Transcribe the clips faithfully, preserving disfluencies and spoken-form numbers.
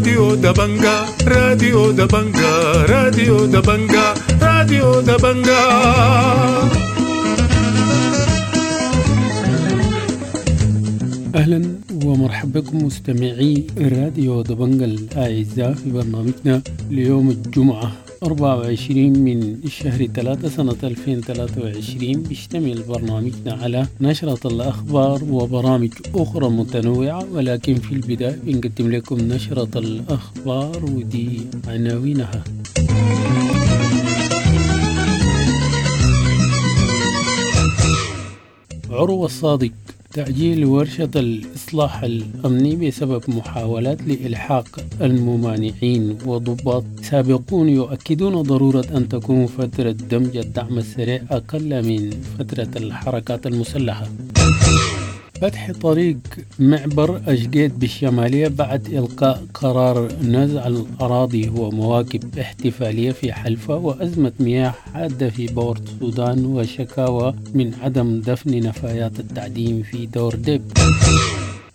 راديو دبنجا، راديو دبنجا، راديو دبنجا، راديو دبنجا. أهلا ومرحبا بكم مستمعي راديو دبنجا الأعزاء في برنامجنا ليوم الجمعة أربعة وعشرين من الشهر ثلاثة سنة ألفين وثلاثة وعشرين. بيشتمل برنامجنا على نشرة الأخبار وبرامج أخرى متنوعة، ولكن في البداية بنقدم لكم نشرة الأخبار ودي عناوينها. عروة الصادق: تأجيل ورشة الإصلاح الأمني بسبب محاولات لإلحاق الممانعين، وضباط سابقون يؤكدون ضرورة أن تكون فترة دمج الدعم السريع أقل من فترة الحركات المسلحة. فتح طريق معبر أشقيت بالشمالية بعد إلقاء قرار نزع الأراضي ومواكب احتفالية في حلفة، وأزمة مياه حادة في بورت السودان، وشكاوى من عدم دفن نفايات التعدين في دور ديب.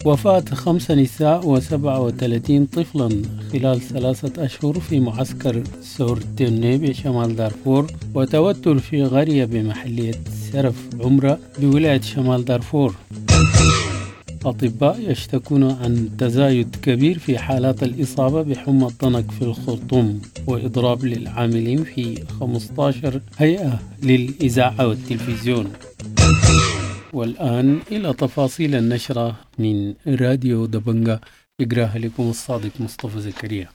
وفاة خمس نساء وسبعة وثلاثين طفلا خلال ثلاثة أشهر في معسكر سورتيني بشمال دارفور، وتوتر في قرية بمحلية سرف عمرة بولاية شمال دارفور. أطباء يشتكون عن تزايد كبير في حالات الإصابة بحمى الضنك في الخرطوم، وإضراب للعاملين في خمسة عشر هيئة للإذاعة والتلفزيون. والآن إلى تفاصيل النشرة من راديو دبنجا، يقراها لكم الصادق مصطفى زكريا.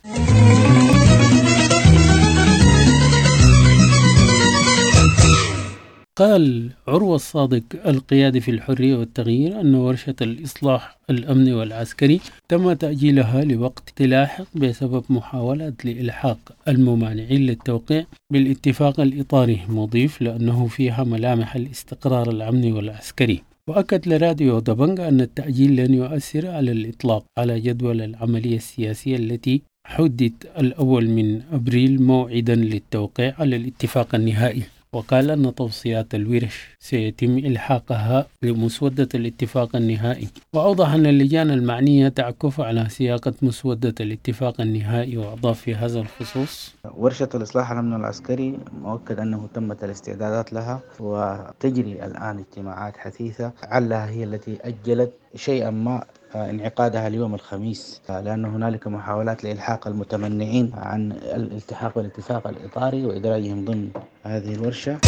قال عروة الصادق القيادي في الحرية والتغيير أن ورشة الإصلاح الأمني والعسكري تم تأجيلها لوقت لاحق بسبب محاولات لإلحاق الممانعين للتوقيع بالاتفاق الإطاري، مضيف لأنه فيها ملامح الاستقرار الأمني والعسكري. وأكد لراديو دبنجا أن التأجيل لن يؤثر على الإطلاق على جدول العملية السياسية التي حددت الأول من أبريل موعدا للتوقيع على الاتفاق النهائي. وقال أن توصيات الورش سيتم إلحاقها لمسودة الاتفاق النهائي. وأوضح أن اللجان المعنية تعكف على سياقة مسودة الاتفاق النهائي. وأضاف في هذا الخصوص: ورشة الإصلاح الأمني والعسكري مؤكد أنه تمت الاستعدادات لها وتجري الآن اجتماعات حثيثة، علها هي التي أجلت شيئا ما انعقادها اليوم الخميس، لأن هنالك محاولات لإلحاق المتمنعين عن الالتحاق بالاتفاق الإطاري وإدراجهم ضمن هذه الورشة.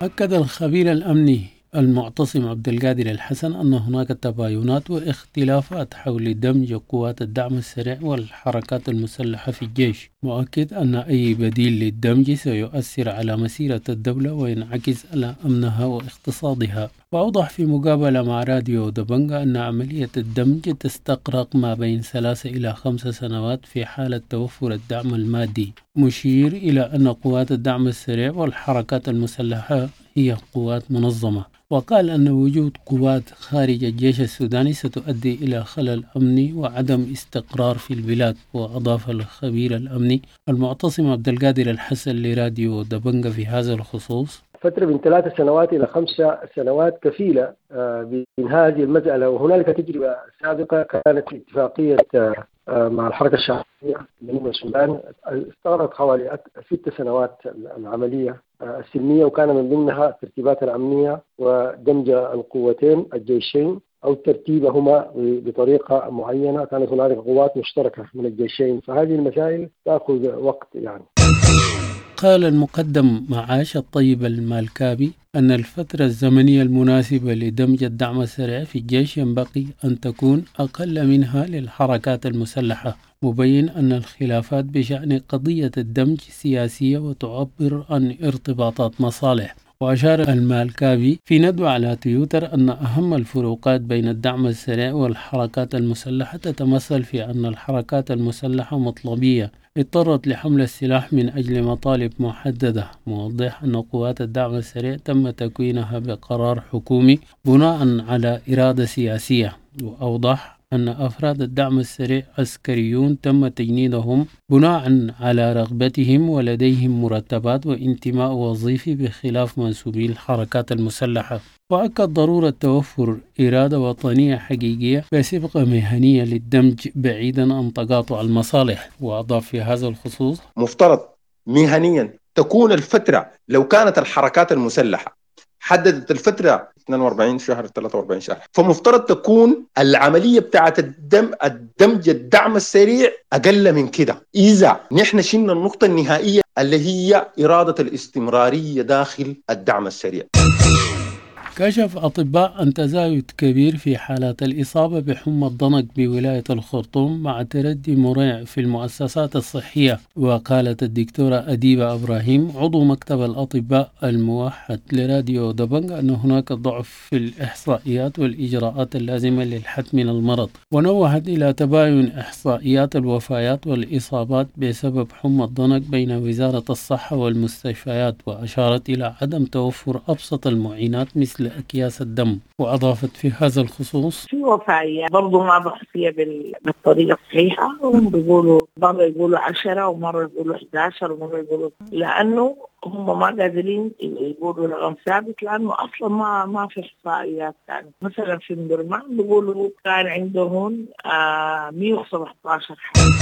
أكد الخبير الأمني المعتصم عبد القادر الحسن أن هناك تباينات واختلافات حول دمج قوات الدعم السريع والحركات المسلحة في الجيش، مؤكد أن أي بديل للدمج سيؤثر على مسيرة الدولة وينعكس على أمنها واقتصادها. وأوضح في مقابلة مع راديو دبنجا أن عملية الدمج تستغرق ما بين ثلاث إلى خمس سنوات في حالة توفر الدعم المادي، مشير إلى أن قوات الدعم السريع والحركات المسلحة هي قوات منظمة. وقال أن وجود قوات خارج الجيش السوداني ستؤدي إلى خلل أمني وعدم استقرار في البلاد. وأضاف الخبير الأمني المعتصم عبد القادر الحسن لراديو دبنجا في هذا الخصوص: فترة من ثلاث سنوات إلى خمس سنوات كفيلة بإنهاء هذه المسألة. وهنالك تجربة سابقة كانت اتفاقية مع الحركة الشعبية جنوب السودان استغرقت حوالي ست سنوات العملية السلمية، وكان من ضمنها الترتيبات الأمنية ودمج القوتين الجيشين أو ترتيبهما بطريقة معينة. كانت هنالك قوات مشتركة من الجيشين، فهذه المسائل تأخذ وقت يعني. قال المقدم معاش الطيب المالكابي أن الفترة الزمنية المناسبة لدمج الدعم السريع في الجيش ينبغي أن تكون أقل منها للحركات المسلحة، مبين أن الخلافات بشأن قضية الدمج سياسية وتعبر عن ارتباطات مصالح. وأشار المالكابي في ندوة على تويتر أن أهم الفروقات بين الدعم السريع والحركات المسلحة تتمثل في أن الحركات المسلحة مطلبية اضطرت لحمل السلاح من أجل مطالب محددة، موضح أن قوات الدعم السريع تم تكوينها بقرار حكومي بناء على إرادة سياسية. وأوضح أن أفراد الدعم السريع عسكريون تم تجنيدهم بناء على رغبتهم ولديهم مرتبات وانتماء وظيفي بخلاف منسوبي الحركات المسلحة. وأكد ضرورة توفر إرادة وطنية حقيقية بصبغة مهنية للدمج بعيدا عن تقاطع المصالح. وأضاف في هذا الخصوص: مفترض مهنيا تكون الفترة لو كانت الحركات المسلحة حددت الفترة اثنين وأربعين شهر ثلاثة وأربعين شهر، فمفترض تكون العملية بتاعت الدم الدمج الدعم السريع أقل من كده. إذا نحن شلنا النقطة النهائية اللي هي إرادة الاستمرارية داخل الدعم السريع. كشف أطباء عن تزايد كبير في حالات الإصابة بحمى الضنك بولاية الخرطوم مع تردي مريع في المؤسسات الصحية. وقالت الدكتورة أديبة إبراهيم عضو مكتب الأطباء الموحد لراديو دبنج أن هناك ضعف في الإحصائيات والإجراءات اللازمة للحد من المرض، ونوهت إلى تباين إحصائيات الوفيات والإصابات بسبب حمى الضنك بين وزارة الصحة والمستشفيات، وأشارت إلى عدم توفر أبسط المعينات مثل أكياس الدم. وأضافت في هذا الخصوص: في وفاية برضو ما بحثية بالطريقة الصحيحة، هم بيقولوا مرة يقولوا عشرة ومرة يقولوا إحدى عشر ومرة يقولوا، لأنه هم ما قادرين يقولوا رقم ثابت لأنه أصلا ما ما في إحصائيات. يعني مثلا في مدرمان بيقولوا كان عندهم آه مئة وسبعة عشر حالة.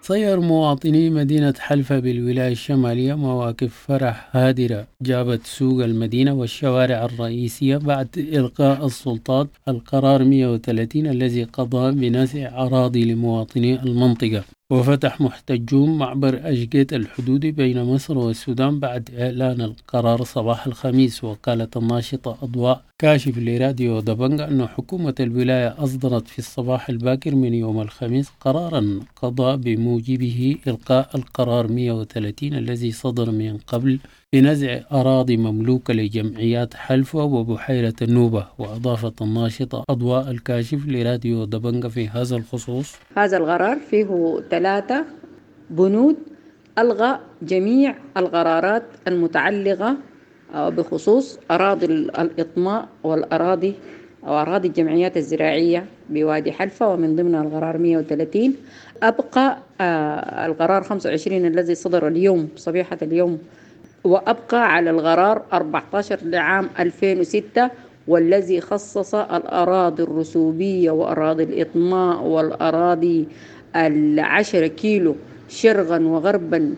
صير مواطني مدينة حلفة بالولاية الشمالية مواقف فرح هادرة جابت سوق المدينة والشوارع الرئيسية بعد إلقاء السلطات القرار مئة وثلاثين الذي قضى بنزع أراضي لمواطني المنطقة. وفتح محتجون معبر أشجيت الحدودي بين مصر والسودان بعد إعلان القرار صباح الخميس. وقالت الناشطة أضواء كاشف لراديو دبنج أن حكومة الولاية أصدرت في الصباح الباكر من يوم الخميس قرارا قضى بموجبه إلقاء القرار مئة وثلاثين الذي صدر من قبل بنزع أراضي مملوكة لجمعيات حلفة وبحيرة النوبة. وأضافت الناشطة أضواء الكاشف لراديو دبنج في هذا الخصوص: هذا القرار فيه ثلاثة بنود، ألغى جميع القرارات المتعلقة بخصوص أراضي الإطماء والأراضي أو أراضي الجمعيات الزراعية بوادي حلفة، ومن ضمنها القرار مئة وثلاثين. أبقى القرار خمسة وعشرين الذي صدر اليوم صبيحة اليوم، وأبقى على القرار أربعة عشر لعام ألفين وستة والذي خصص الأراضي الرسوبية وأراضي الإطماء والأراضي العشرة كيلو شرقا وغربا.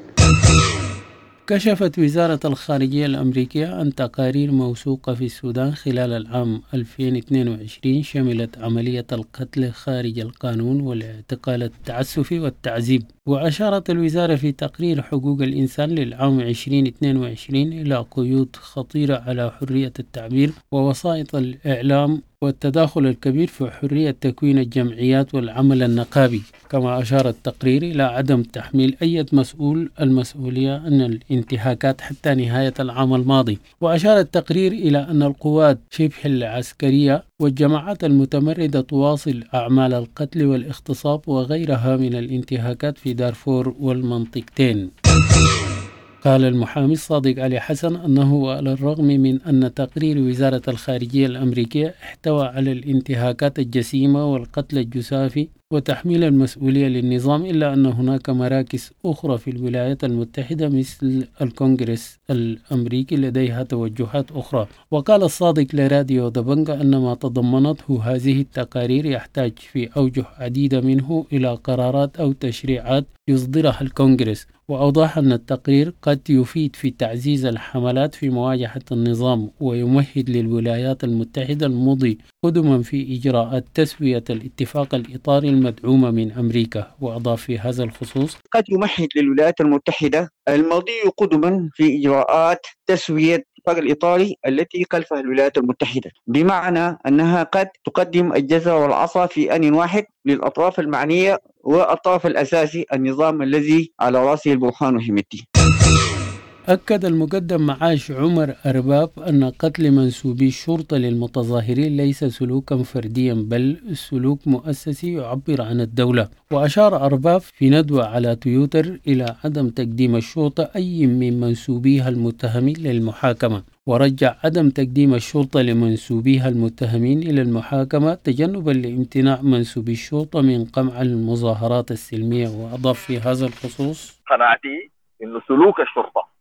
كشفت وزارة الخارجية الأمريكية عن تقارير موثوقة في السودان خلال العام ألفين واثنين وعشرين شملت عملية القتل خارج القانون والاعتقال التعسفي والتعذيب. وأشارت الوزارة في تقرير حقوق الإنسان للعام ألفين واثنين وعشرين إلى قيود خطيرة على حرية التعبير ووسائط الإعلام والتداخل الكبير في حرية تكوين الجمعيات والعمل النقابي. كما أشار التقرير إلى عدم تحميل أي مسؤول المسؤولية عن الانتهاكات حتى نهاية العام الماضي. وأشار التقرير إلى أن القوات شبه العسكرية والجماعات المتمردة تواصل أعمال القتل والاغتصاب وغيرها من الانتهاكات في دارفور والمنطقتين. قال المحامي الصادق علي حسن أنه على الرغم من أن تقرير وزارة الخارجية الأمريكية احتوى على الانتهاكات الجسيمة والقتل الجسافي وتحميل المسؤولية للنظام، إلا أن هناك مراكز أخرى في الولايات المتحدة مثل الكونغرس الأمريكي لديها توجهات أخرى. وقال الصادق لراديو دبنجا أن ما تضمنته هذه التقارير يحتاج في أوجه عديدة منه إلى قرارات أو تشريعات يصدرها الكونغرس. وأوضح أن التقرير قد يفيد في تعزيز الحملات في مواجهة النظام ويمهد للولايات المتحدة المضي قدما في إجراءات تسوية الاتفاق الإطاري المدعومة من أمريكا. وأضاف في هذا الخصوص: قد يمهد للولايات المتحدة المضي قدما في إجراءات تسوية الاتفاق الإطاري التي خلفها الولايات المتحدة، بمعنى أنها قد تقدم الجزر والعصا في آن واحد للأطراف المعنية والطرف الأساسي النظام الذي على رأسه البرهان وحميدتي. أكد المقدم معاش عمر أرباب أن قتل منسوبي الشرطة للمتظاهرين ليس سلوكا فرديا بل سلوك مؤسسي يعبر عن الدولة. وأشار أرباب في ندوة على تويتر إلى عدم تقديم الشرطة أي من منسوبيها المتهمين للمحاكمة، ورجع عدم تقديم الشرطة لمنسوبيها المتهمين إلى المحاكمة تجنبا لامتناع منسوبي الشرطة من قمع المظاهرات السلمية. وأضاف في هذا الخصوص: قناعتي إنه سلوك الشرطة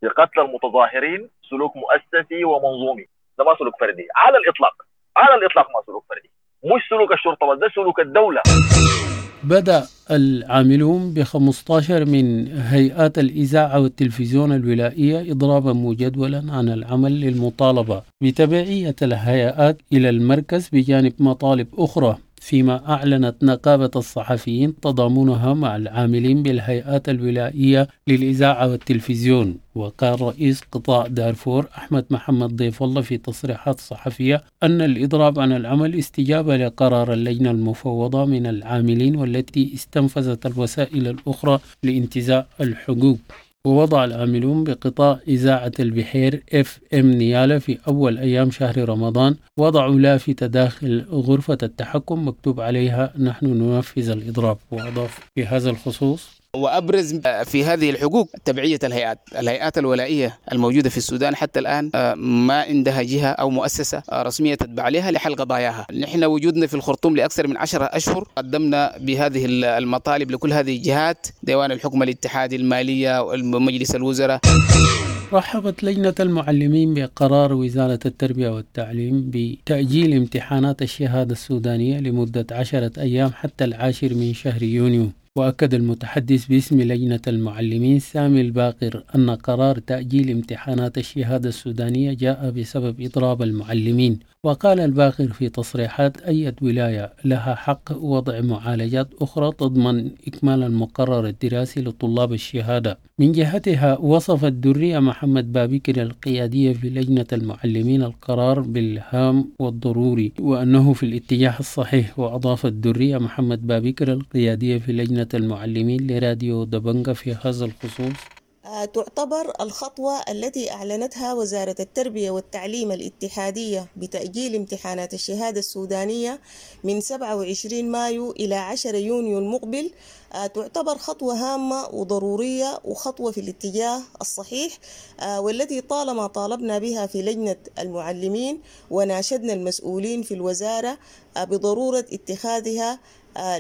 في قتل المتظاهرين سلوك مؤسسي ومنظومي، ده ما سلوك فردي على الاطلاق، على الاطلاق ما سلوك فردي، مش سلوك الشرطة بس، ده سلوك الدولة. بدأ العاملون ب خمسة عشر من هيئات الإذاعة والتلفزيون الولائية إضرابا مجدولا عن العمل للمطالبة بتبعية الهيئات إلى المركز بجانب مطالب أخرى، فيما أعلنت نقابة الصحفيين تضامنها مع العاملين بالهيئات الولائية للإذاعة والتلفزيون. وقال رئيس قطاع دارفور أحمد محمد ضيف الله في تصريحات صحفية أن الإضراب عن العمل استجابة لقرار اللجنة المفوضة من العاملين والتي استنفذت الوسائل الأخرى لانتزاع الحقوق. ووضع العاملون بقطاع إذاعة البحير اف ام نيالا في أول أيام شهر رمضان وضعوا لافتة داخل غرفة التحكم مكتوب عليها نحن ننفذ الإضراب. وأضاف في هذا الخصوص: وأبرز في هذه الحقوق تبعية الهيئات، الهيئات الولائية الموجودة في السودان حتى الآن ما عندها جهة أو مؤسسة رسمية تتبع لها لحل قضاياها. نحن وجودنا في الخرطوم لأكثر من عشرة أشهر قدمنا بهذه المطالب لكل هذه الجهات، ديوان الحكم الاتحادي، المالية، ومجلس الوزراء. رحبت لجنة المعلمين بقرار وزارة التربية والتعليم بتأجيل امتحانات الشهادة السودانية لمدة عشرة أيام حتى العاشر من شهر يونيو. وأكد المتحدث باسم لجنة المعلمين سامي الباقر أن قرار تأجيل امتحانات الشهادة السودانية جاء بسبب إضراب المعلمين. وقال الباقر في تصريحات: أي ولاية لها حق وضع معالجات أخرى تضمن إكمال المقرر الدراسي لطلاب الشهادة. من جهتها وصفت درية محمد بابكر القيادية في لجنة المعلمين القرار بالهام والضروري وأنه في الاتجاه الصحيح. وأضافت درية محمد بابكر القيادية في لجنة المعلمين لراديو دبنجة في هذا الخصوص: تعتبر الخطوة التي أعلنتها وزارة التربية والتعليم الاتحادية بتأجيل امتحانات الشهادة السودانية من سبعة وعشرين مايو إلى عشرة يونيو المقبل تعتبر خطوة هامة وضرورية وخطوة في الاتجاه الصحيح، والتي طالما طالبنا بها في لجنة المعلمين وناشدنا المسؤولين في الوزارة بضرورة اتخاذها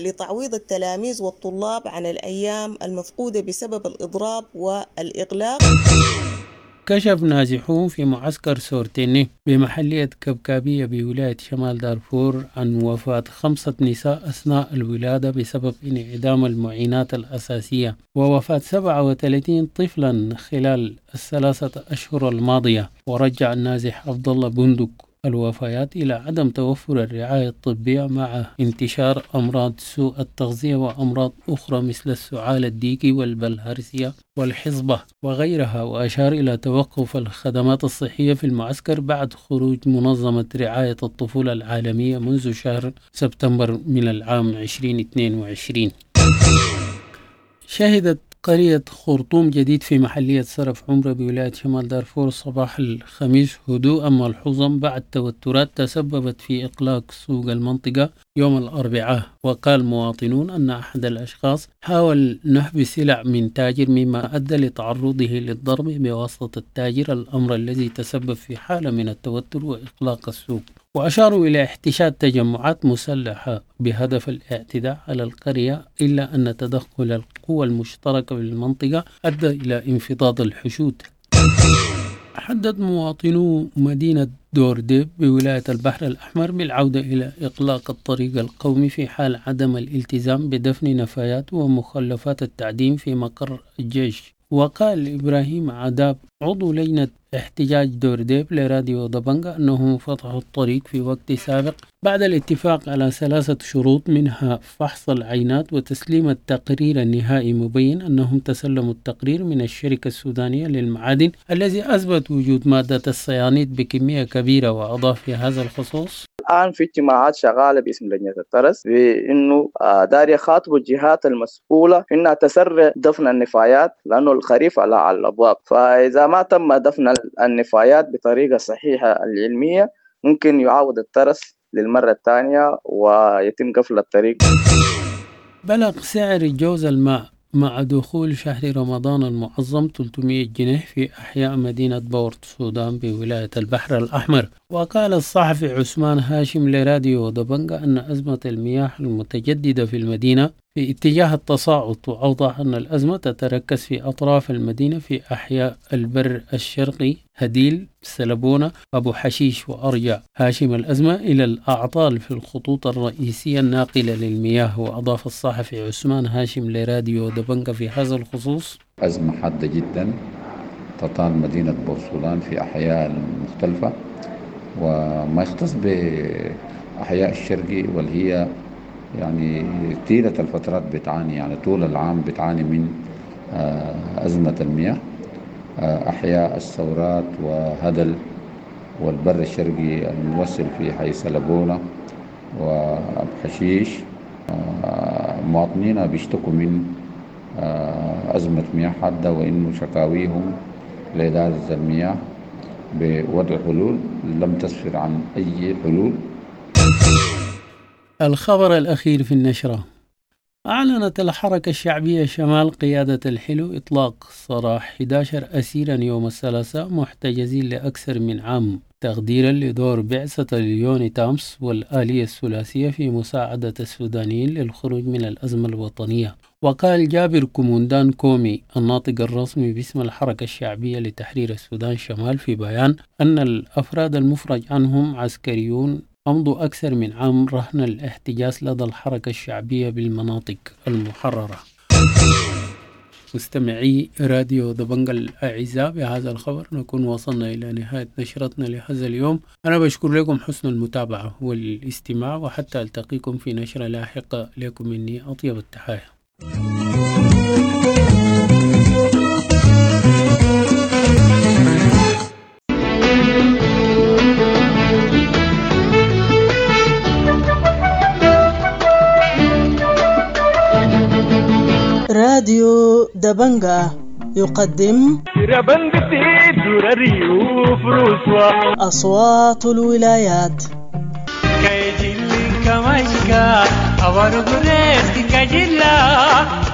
لتعويض التلاميذ والطلاب عن الأيام المفقودة بسبب الإضراب والإغلاق. كشف نازحون في معسكر سورتيني بمحلية كبكابية بولاية شمال دارفور عن وفاة خمسة نساء أثناء الولادة بسبب انعدام المعينات الأساسية ووفاة سبعة وثلاثين طفلا خلال الثلاثة أشهر الماضية. ورجع النازح عبد الله بندق الوفيات إلى عدم توفر الرعاية الطبية مع انتشار أمراض سوء التغذية وأمراض أخرى مثل السعال الديكي والبلهارسيا والحصبة وغيرها. وأشار إلى توقف الخدمات الصحية في المعسكر بعد خروج منظمة رعاية الطفولة العالمية منذ شهر سبتمبر من العام ألفين واثنين وعشرين. شهدت قرية خرطوم جديد في محلية سرف عمرة بولاية شمال دارفور صباح الخميس هدوءا ملحوظا بعد توترات تسببت في إغلاق سوق المنطقة يوم الأربعاء. وقال مواطنون أن أحد الأشخاص حاول نهب سلع من تاجر مما أدى لتعرضه للضرب بواسطة التاجر، الأمر الذي تسبب في حالة من التوتر وإغلاق السوق. وأشاروا إلى احتشاد تجمعات مسلحة بهدف الاعتداء على القرية، إلا أن تدخل القوى المشتركة بالمنطقة أدى إلى انفضاض الحشود. حدد مواطنو مدينة دورديب بولاية البحر الأحمر بالعودة إلى إغلاق الطريق القومي في حال عدم الالتزام بدفن نفايات ومخلفات التعدين في مقر الجيش. وقال إبراهيم عداب عضو لجنة احتجاج دورديب لراديو دبنجة أنهم فتحوا الطريق في وقت سابق بعد الاتفاق على ثلاثة شروط، منها فحص العينات وتسليم التقرير النهائي، مبين أنهم تسلموا التقرير من الشركة السودانية للمعادن الذي أثبت وجود مادة السيانيد بكمية كبيرة. وأضاف في هذا الخصوص: الآن في اجتماعات شغالة باسم لجنة الترس بأنه داري يخاطبوا الجهات المسؤولة إنها تسرع دفن النفايات لأنه الخريف على الأبواب، فإذا ما تم دفن النفايات بطريقة صحيحة العلمية ممكن يعاود الترس للمرة الثانية ويتم قفل الطريق. بلغ سعر جوز الماء مع دخول شهر رمضان المعظم ثلاثمئة جنيه في أحياء مدينة بورت السودان بولاية البحر الأحمر. وقال الصحفي عثمان هاشم لراديو دبنجة أن أزمة المياه المتجددة في المدينة في اتجاه التصاعد. وأوضح أن الأزمة تتركز في أطراف المدينة في أحياء البر الشرقي، هديل، سلبونة، أبو حشيش وأرجع هاشم الأزمة إلى الأعطال في الخطوط الرئيسية الناقلة للمياه. وأضاف الصحفي عثمان هاشم لراديو دبنجة في هذا الخصوص: أزمة حادة جدا تطال مدينة بورسودان في أحياء مختلفة، وما يختص بأحياء الشرقي واللي هي يعني طيلة الفترات بتعاني، يعني طول العام بتعاني من أزمة المياه. أحياء الثورات وهدل والبر الشرقي الموصل في حي سلبونة وأبو حشيش، مواطنين بيشتكوا من أزمة مياه حادة، وإنه شكاويهم لإدارة المياه بوضع حلول لم تسفر عن أي حلول. الخبر الأخير في النشرة: أعلنت الحركة الشعبية شمال قيادة الحلو إطلاق سراح أحد عشر أسيرا يوم الثلاثاء محتجزين لأكثر من عام، تقديرا لدور بعثة اليونيتامس والآلية الثلاثية في مساعدة السودانيين للخروج من الأزمة الوطنية. وقال جابر كوموندان كومي الناطق الرسمي باسم الحركة الشعبية لتحرير السودان شمال في بيان أن الأفراد المفرج عنهم عسكريون أمضوا أكثر من عام رهن الاحتجاز لدى الحركة الشعبية بالمناطق المحررة. مستمعي راديو دبنجة الأعزاء، بهذا الخبر نكون وصلنا إلى نهاية نشرتنا لهذا اليوم. أنا بشكر لكم حسن المتابعة والاستماع، وحتى ألتقيكم في نشرة لاحقة. لكم مني أطيب التحايا. راديو دبنجة يقدم أصوات الولايات.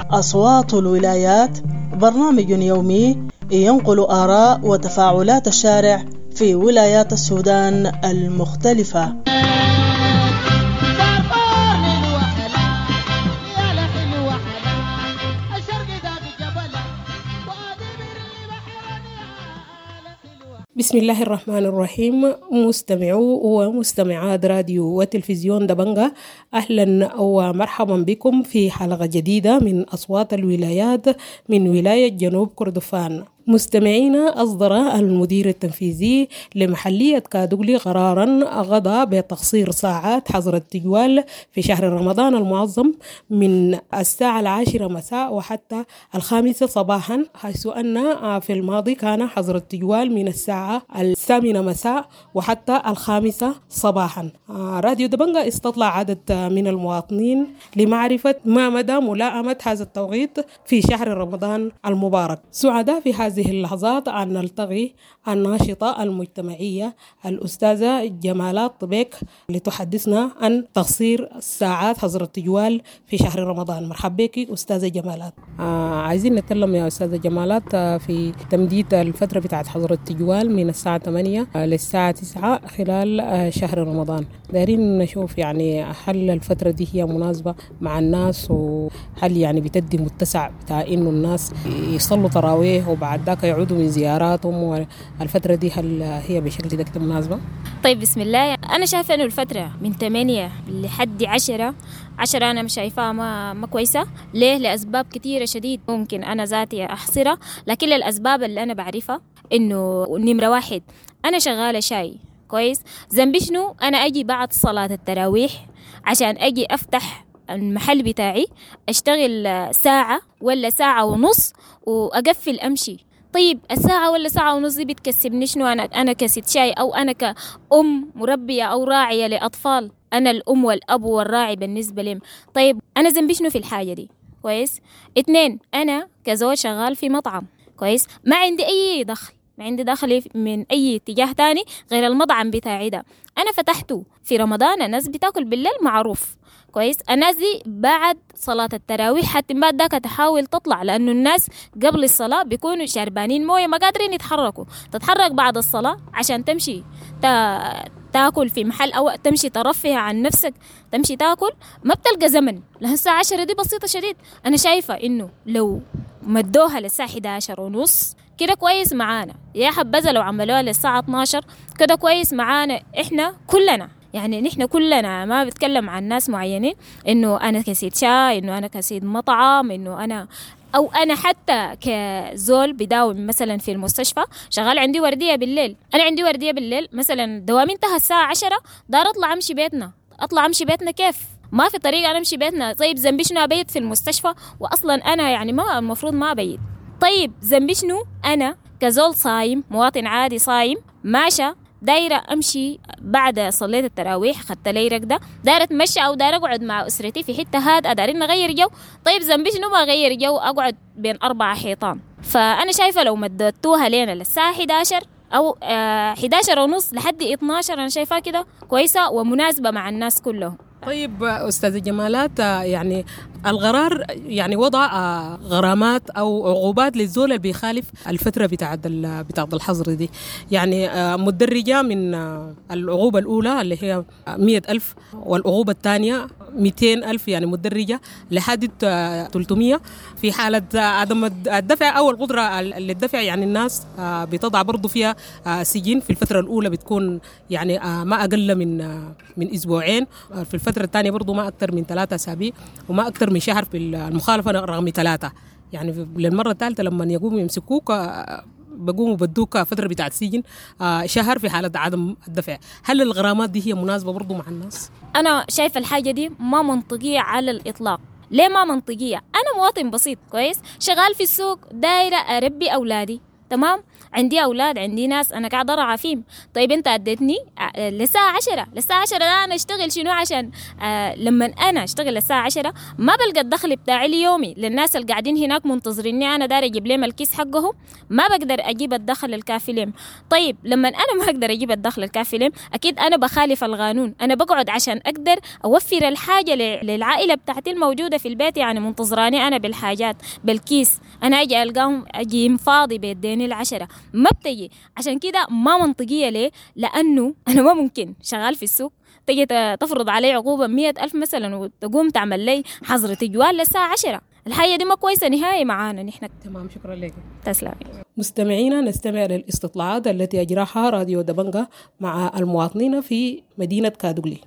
أصوات الولايات برنامج يومي ينقل آراء وتفاعلات الشارع في ولايات السودان المختلفة. بسم الله الرحمن الرحيم. مستمعو ومستمعات راديو وتلفزيون دبنجة، أهلا ومرحبا بكم في حلقة جديدة من أصوات الولايات من ولاية جنوب كردفان. مستمعينا، أصدر المدير التنفيذي لمحلية كادوغلي قرارا غدا بتقصير ساعات حظر التجوال في شهر رمضان المعظم من الساعة العاشرة مساء وحتى الخامسة صباحا، حيث أن في الماضي كان حظر التجوال من الساعة الثامنة مساء وحتى الخامسة صباحا. راديو دبنجة استطلع عدد من المواطنين لمعرفة ما مدى ملائمة هذا التوقيت في شهر رمضان المبارك. سعداء في هذه هذه اللحظات أن نلتقي الناشطة المجتمعية الأستاذة جمالات طبيك لتحدثنا عن تقصير ساعات حظر التجوال في شهر رمضان. مرحبا بك أستاذة جمالات. آه عايزين نتكلم يا أستاذة جمالات في تمديد الفترة بتاعت حظر التجوال من الساعة ثمانية للساعة تسعة خلال شهر رمضان. دايرين نشوف يعني هل الفترة دي هي مناسبة مع الناس، وهل يعني بتدي متسع بتاع إنه الناس يصلوا تراويح وبعد ذاك يعودوا من زياراتهم، والفترة دي هل هي بشكل ده مناسبة؟ طيب بسم الله. أنا شايفة إنه الفترة من ثمانية لحد عشرة عشرة أنا مش شايفاها ما, ما كويسة. ليه؟ لأسباب كثيرة شديد ممكن أنا ذاتي أحصرها، لكن الأسباب اللي أنا بعرفها إنه نمرة واحد، أنا شغالة شاي كويس، ذنبي شنو؟ أنا أجي بعد صلاة التراويح عشان أجي أفتح المحل بتاعي، أشتغل ساعة ولا ساعة ونص وأقفل أمشي. طيب الساعة ولا ساعة ونص دي بتكسبني شنو؟ أنا أنا كست شاي، أو أنا كأم مربية أو راعية لأطفال، أنا الأم والأب والراعي بالنسبة لهم. طيب أنا ذنبي شنو في الحاجة دي؟ كويس. اتنين، أنا كزوج شغال في مطعم، كويس، ما عندي أي دخل، ما عندي دخل من أي اتجاه تاني غير المطعم بتاعي ده. أنا فتحته في رمضان، الناس بتاكل بالليل معروف، كويس. الناس دي بعد صلاة التراويح حتى بعد ذاك تحاول تطلع، لأنه الناس قبل الصلاة بيكونوا شربانين موية ما قادرين يتحركوا. تتحرك بعد الصلاة عشان تمشي تا... تاكل في محل أو تمشي ترفه عن نفسك، تمشي تاكل ما بتلقى زمن. لأن الساعة عشرة دي بسيطة شديد. أنا شايفة إنه لو مدوها للساعة إحدى عشر ونص كده كويس معانا، يا حبذا لو عملوها للساعة اتناشر كده كويس معانا إحنا كلنا. يعني نحن كلنا ما بتكلم عن ناس معينين، إنه أنا كسيد شاي، إنه أنا كسيد مطعم، إنه أنا أو أنا حتى كزول بداوم مثلا في المستشفى شغال عندي وردية بالليل. أنا عندي وردية بالليل مثلا دوامي انتهى الساعة عشرة، دار أطلع أمشي بيتنا. أطلع أمشي بيتنا كيف؟ ما في طريقة أنا أمشي بيتنا. طيب ذنبي شنو أبيت في المستشفى؟ وأصلا أنا يعني ما المفروض ما أبيت. طيب ذنبي شنو أنا كزول صايم، مواطن عادي صايم ماشى دايرة أمشي بعد صليت التراويح خدت لي رقدة، دايرة أتمشى أو دايرة أقعد مع أسرتي في حتة هادئة، دايرين نغير جو. طيب ذنبي شنو ما أغير جو أقعد بين أربع حيطان؟ فأنا شايفة لو مدتوها لنا للساعة إحدى عشر أو إحدى عشر ونص لحد اتناشر أنا شايفاها كده كويسة ومناسبة مع الناس كلهم. طيب أستاذة جمالات، يعني القرار يعني وضع غرامات أو عقوبات للزول اللي بيخالف الفترة بتاعت بتاعت الحظر دي، يعني متدرجة من العقوبة الأولى اللي هي مية ألف والعقوبة الثانية مئتين ألف، يعني متدرجة لحد ثلاثمية في حالة عدم الدفع أو القدرة للدفع. يعني الناس بتضع برضو فيها سجن في الفترة الأولى بتكون يعني ما أقل من من أسبوعين، في الفترة الثانية برضو ما أكثر من ثلاثة أسابيع وما أكثر من شهر في المخالفة رقم ثلاثة. يعني للمرة الثالثة لما يقوموا يمسكوك بقوموا بدوك فترة بتاعت سجن شهر في حالة عدم الدفع. هل الغرامات دي هي مناسبة برضو مع الناس؟ أنا شايفة الحاجة دي ما منطقية على الإطلاق. ليه ما منطقية؟ أنا مواطن بسيط كويس، شغال في السوق، دايرة أربي أولادي، تمام، عندي أولاد، عندي ناس أنا قاعدة أرعى فيهم. طيب أنت أديتني للساعة عشرة، للساعة عشرة ده أنا أشتغل شنو؟ عشان آه لما أنا أشتغل للساعة عشرة ما بلقى الدخل بتاعي اليومي للناس اللي قاعدين هناك منتظريني أنا داير أجيب لهم الكيس حقهم، ما بقدر أجيب الدخل الكافي لهم. طيب لما أنا ما أقدر أجيب الدخل الكافي لهم أكيد أنا بخالف القانون. أنا بقعد عشان أقدر أوفر الحاجة للعائلة بتاعتي الموجودة في البيت، يعني منتظراني أنا بالحاجات بالكيس، أنا أجي ألقاهم أجي فاضي بيديني العشرة ما بتجي. عشان كده ما منطقية. ليه؟ لأنه أنا ما ممكن شغال في السوق تجي تفرض علي عقوبة مية ألف مثلا وتقوم تعمل لي حظر تجوال للساعة عشرة. الحاجة دي ما كويسة نهائي معانا نحن. تمام، شكرا لك. تسلمي. مستمعينا، نستمع للاستطلاعات التي أجراها راديو دبنجة مع المواطنين في مدينة كادوغلي.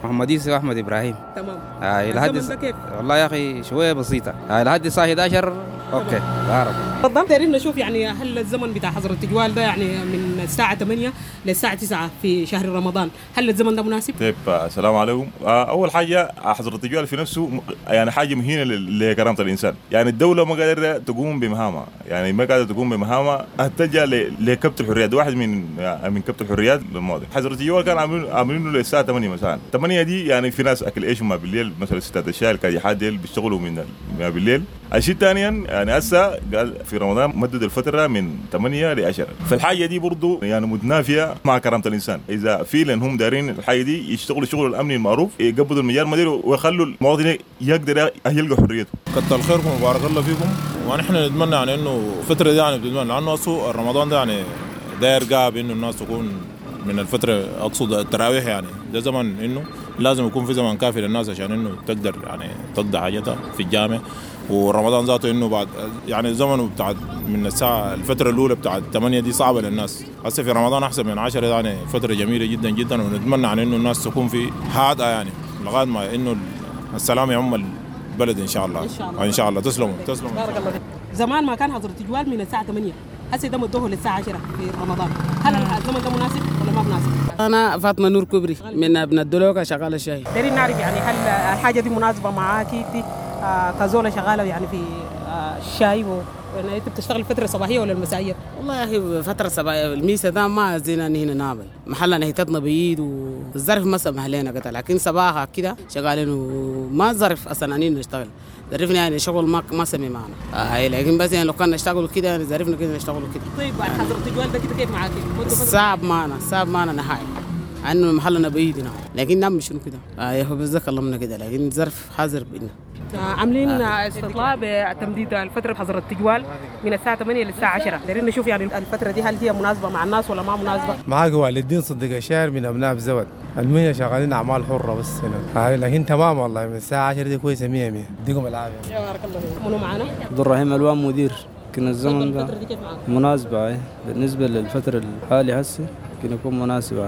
محمد يوسف أحمد إبراهيم. تمام. آه لحد كيف؟ والله يا أخي شوية بسيطة. آه لحد الساعة إحدى عشر. okay. بارك. تفضل. دايرين نشوف يعني هل الزمن بتاع حظر التجوال ده يعني من الساعة ثمانية للساعة تسعة في شهر رمضان، هل الزمن ده مناسب؟ طيب السلام عليكم. أول حاجة حظر التجوال في نفسه يعني حاجة مهينة لكرامة الإنسان، يعني الدولة ما قادرة تقوم بمهامها، يعني ما قادرة تقوم بمهامها تلجأ لكبت الحريات، واحد من من كبت الحريات للماضي. حظر التجوال كان عاملين عاملينه للساعة ثمانية مساء، ثمانية دي يعني في ناس أكل إيش ما بالليل، مثلا ستات الشاي الكادحات ديل بيشتغلوا من بالليل. الشيء الثاني يعني هسه قال في رمضان مدد الفترة من ثمانية ل عشرة، فالحاجة دي برضو يعني متنافية مع كرامة الإنسان. إذا فعلا هم دارين الحاجة دي يشتغلوا شغل الأمني المعروف، يقبضوا المجال مدير ويخلوا المواطن يقدر يلقى حريته. كتر خيركم وبارك الله فيكم، ونحن نتمنى يعني إنه الفترة دي يعني بنتمنى لأنه أصله رمضان ده يعني داير قاب إنه الناس تكون من الفترة، أقصد التراويح، يعني ده زمن إنه لازم يكون في زمن كافي للناس عشان إنه تقدر يعني تقضي حاجتها في الجامع. ورمضان ذاته انه بعد يعني زمنه بتاع من الساعة الفترة الاولى بتاع ثمانية دي صعبة للناس. هسه في رمضان احسن من عشرة، يعني فترة جميلة جدا جدا، ونتمنى عن انه الناس تكون في هادئة يعني لغاية ما انه السلام يعم البلد ان شاء الله. ان شاء الله. ان شاء الله. تسلموا تسلموا. بارك الله فيك. زمان ما كان حظر التجوال من الساعة ثمانية، هسه ده مدوه للساعة عشرة في رمضان، هل الزمن ده مناسب ولا ما مناسب؟ انا فاطمة نور كبري من ابن الدلوكه شغالة شاي. دارين نعرف يعني هل الحاجة دي مناسبة معاكي دي آه كزولة شغالة يعني في آه الشاي و... يعني انت بتشتغل فترة صباحية ولا المسائية؟ والله يا اخي فترة صباحية الميسة ده ما زينا هنا نعمل محلنا هيتتنا بعيد والظرف ما سمح لنا قتل، لكن صباحا كده شغالين وما ظرف اصلا انين نشتغل ظرفنا يعني شغل ما ما سمي معنا آه، لكن بس يعني لو كان نشتغل كده يعني ظرفنا كده نشتغل كده. طيب حظر التجوال ده كده كيف معاك؟ صعب معنا صعب معنا نهائي. انه محلنا بعيد هنا، لكن نعمل شنو كده؟ آه يا هو بس كلمنا كده، لكن ظرف حاضر بينا. عاملين استطلاع بتمديد الفترة حظر التجوال من الساعة ثمانية للساعة عشرة، دايرين نشوف يعني الفترة دي هل هي مناسبة مع الناس ولا ما مناسبة. معاك والد الدين صديق الشاعر من أبناء بزود، المية شغالين أعمال حرة بس هنا، لكن تمام والله من الساعة عشرة دي كويسة مية مية، يديكم العافية. يا بارك الله فيك. منو معانا؟ عبد الرحيم الوان مدير. كان الزمن ده مناسبة بالنسبة للفترة الحالية هسه ممكن يكون مناسب.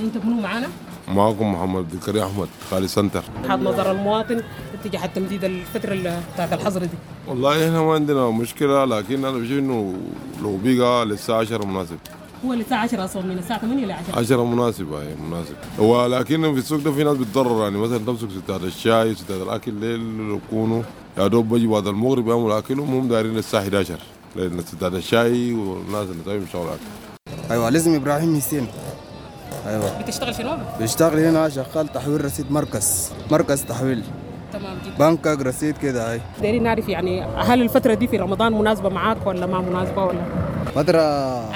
انت منو معانا؟ معكم محمد ذكري احمد خالي سنتر. وجهة نظر المواطن اتجاه تمديد الفترة بتاعت الحظر دي. والله احنا ما عندنا مشكلة، لكن انا بشوف انه لو بقى للساعة عشرة مناسب. هو للساعة عشرة اصلا، من الساعة ثمانية ل عشرة. عشرة مناسبة، هي مناسب، ولكن في السوق ده في ناس بتضرر، يعني مثلا تمسك ستات الشاي ستات الاكل ليل يكونوا يا دوب بيجي بعد المغرب يعملوا اكلهم، هم دايرين للساعة احد عشر لان ستات الشاي والناس اللي طيب شغل اكل. ايوه لازم ابراهيم حسين. ايوه بتشتغل شنو؟ بشتغل هنا شغال تحويل رصيد، مركز مركز تحويل. تمام جدا. بنكك رصيد كده. هاي دايرين نعرف يعني هل الفترة دي في رمضان مناسبة معاك ولا ما مناسبة ولا؟ فترة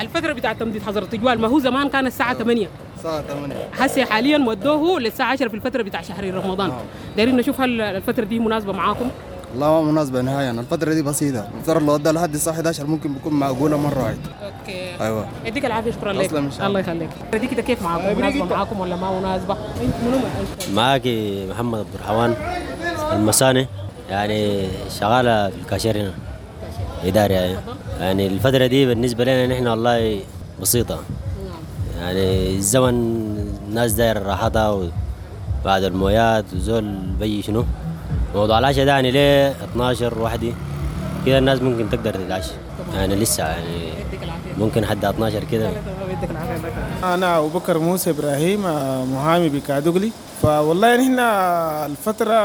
الفترة بتاعت تمديد حظر التجوال، ما هو زمان كان الساعة ثمانية. الساعة ثمانية هسه حاليا ودوه للساعة عشرة في الفترة بتاع شهر رمضان. دايرين نشوف هل الفترة دي مناسبة معاكم؟ والله ما مناسبة نهائيا، الفترة دي بسيطة، الفترة اللي ودها لحد الساعة احد عشر ممكن بيكون معقولة مرة واحدة. okay ايوه يديك العافية، شكرا لك. الله يخليك. دي كده كيف معاكم؟ مناسبة معاكم ولا ما مناسبة؟ انت منو؟ معاك محمد عبد الرحمن المساني، يعني شغالة في الكاشير هنا إداري. يعني يعني الفترة دي بالنسبة لنا نحن والله بسيطة، يعني الزمن الناس داير راحتها وبعد المويات وزول بي شنو موضوع العشاء ده، يعني ليه اثناشر وحدي كده الناس ممكن تقدر تتعشى، يعني لسه يعني ممكن حد اثناشر كده. أنا أبو بكر موسى إبراهيم، محامي بكادوغلي. فوالله نحن الفترة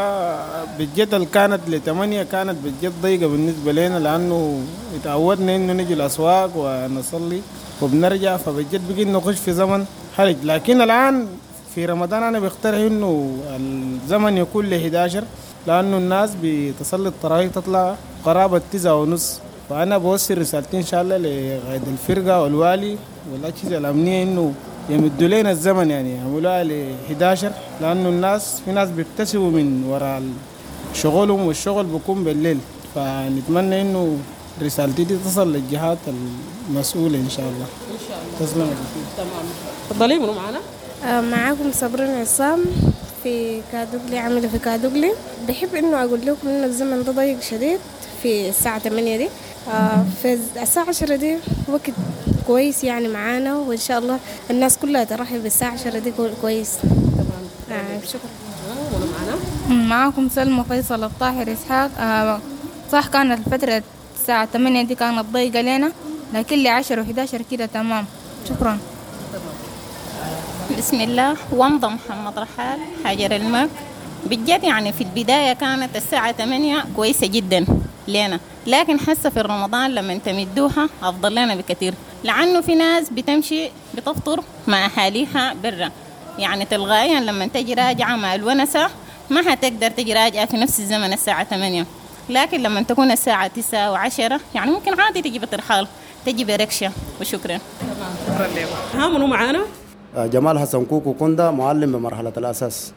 بالجد اللي كانت لثمانية كانت بالجد ضيقة بالنسبة لنا، لأنه اتعودنا إنه نجي الأسواق ونصلي وبنرجع، فبالجد بقينا نخش في زمن حرج. لكن الآن في رمضان أنا بقترح إنه الزمن يكون ل احد عشر، لأنه الناس بتصلي التراويح تطلع قرابة تسعة ونص. فأنا بوصل رسالتي إن شاء الله لقائد الفرقة والوالي والأجهزة الأمنية إنه يمدوا لنا الزمن، يعني يعملوها ل احد عشر، لأنه الناس في ناس بيكتسبوا من وراء شغلهم والشغل بيكون بالليل. فنتمنى إنه رسالتي دي تصل للجهات المسؤولة إن شاء الله. إن شاء الله. تسلم. تمام. تفضلي منو معنا؟ معاكم صابرين عصام في كادوغلي، عاملة في كادوغلي. بحب إنه أقول لكم إنه الزمن ده ضيق شديد في الساعة ثمانية دي، في الساعة عشرة دي وقت كويس يعني معانا، وإن شاء الله الناس كلها ترحب بالساعة عشرة دي كويس. تمام. آه شكرا. معاكم سلمى فيصل الطاهر إسحاق. آه صح كانت الفترة الساعة ثمانية دي كانت ضيقة لنا، لكن لعشرة وحداشر كده تمام. شكرا. بسم الله. ومضة محمد رحال حجر المك. بالجد يعني في البداية كانت الساعة ثمانية كويسة جدا لنا، لكن حاسة في رمضان لما تمدوها أفضل لنا بكثير، لأنه في ناس بتمشي بتفطر مع أهاليها برا، يعني تلغائيا لما تجي راجعة مع الونسة ما هتقدر تجي راجعة في نفس الزمن الساعة ثمانية، لكن لما تكون الساعة تسعة وعشرة يعني ممكن عادي تجي بترحال، تجي بركشة. وشكرا. تمام شكرا لك. ها منو معانا؟ جمال حسن كوكو كوندا، معلم بمرحلة الأساس.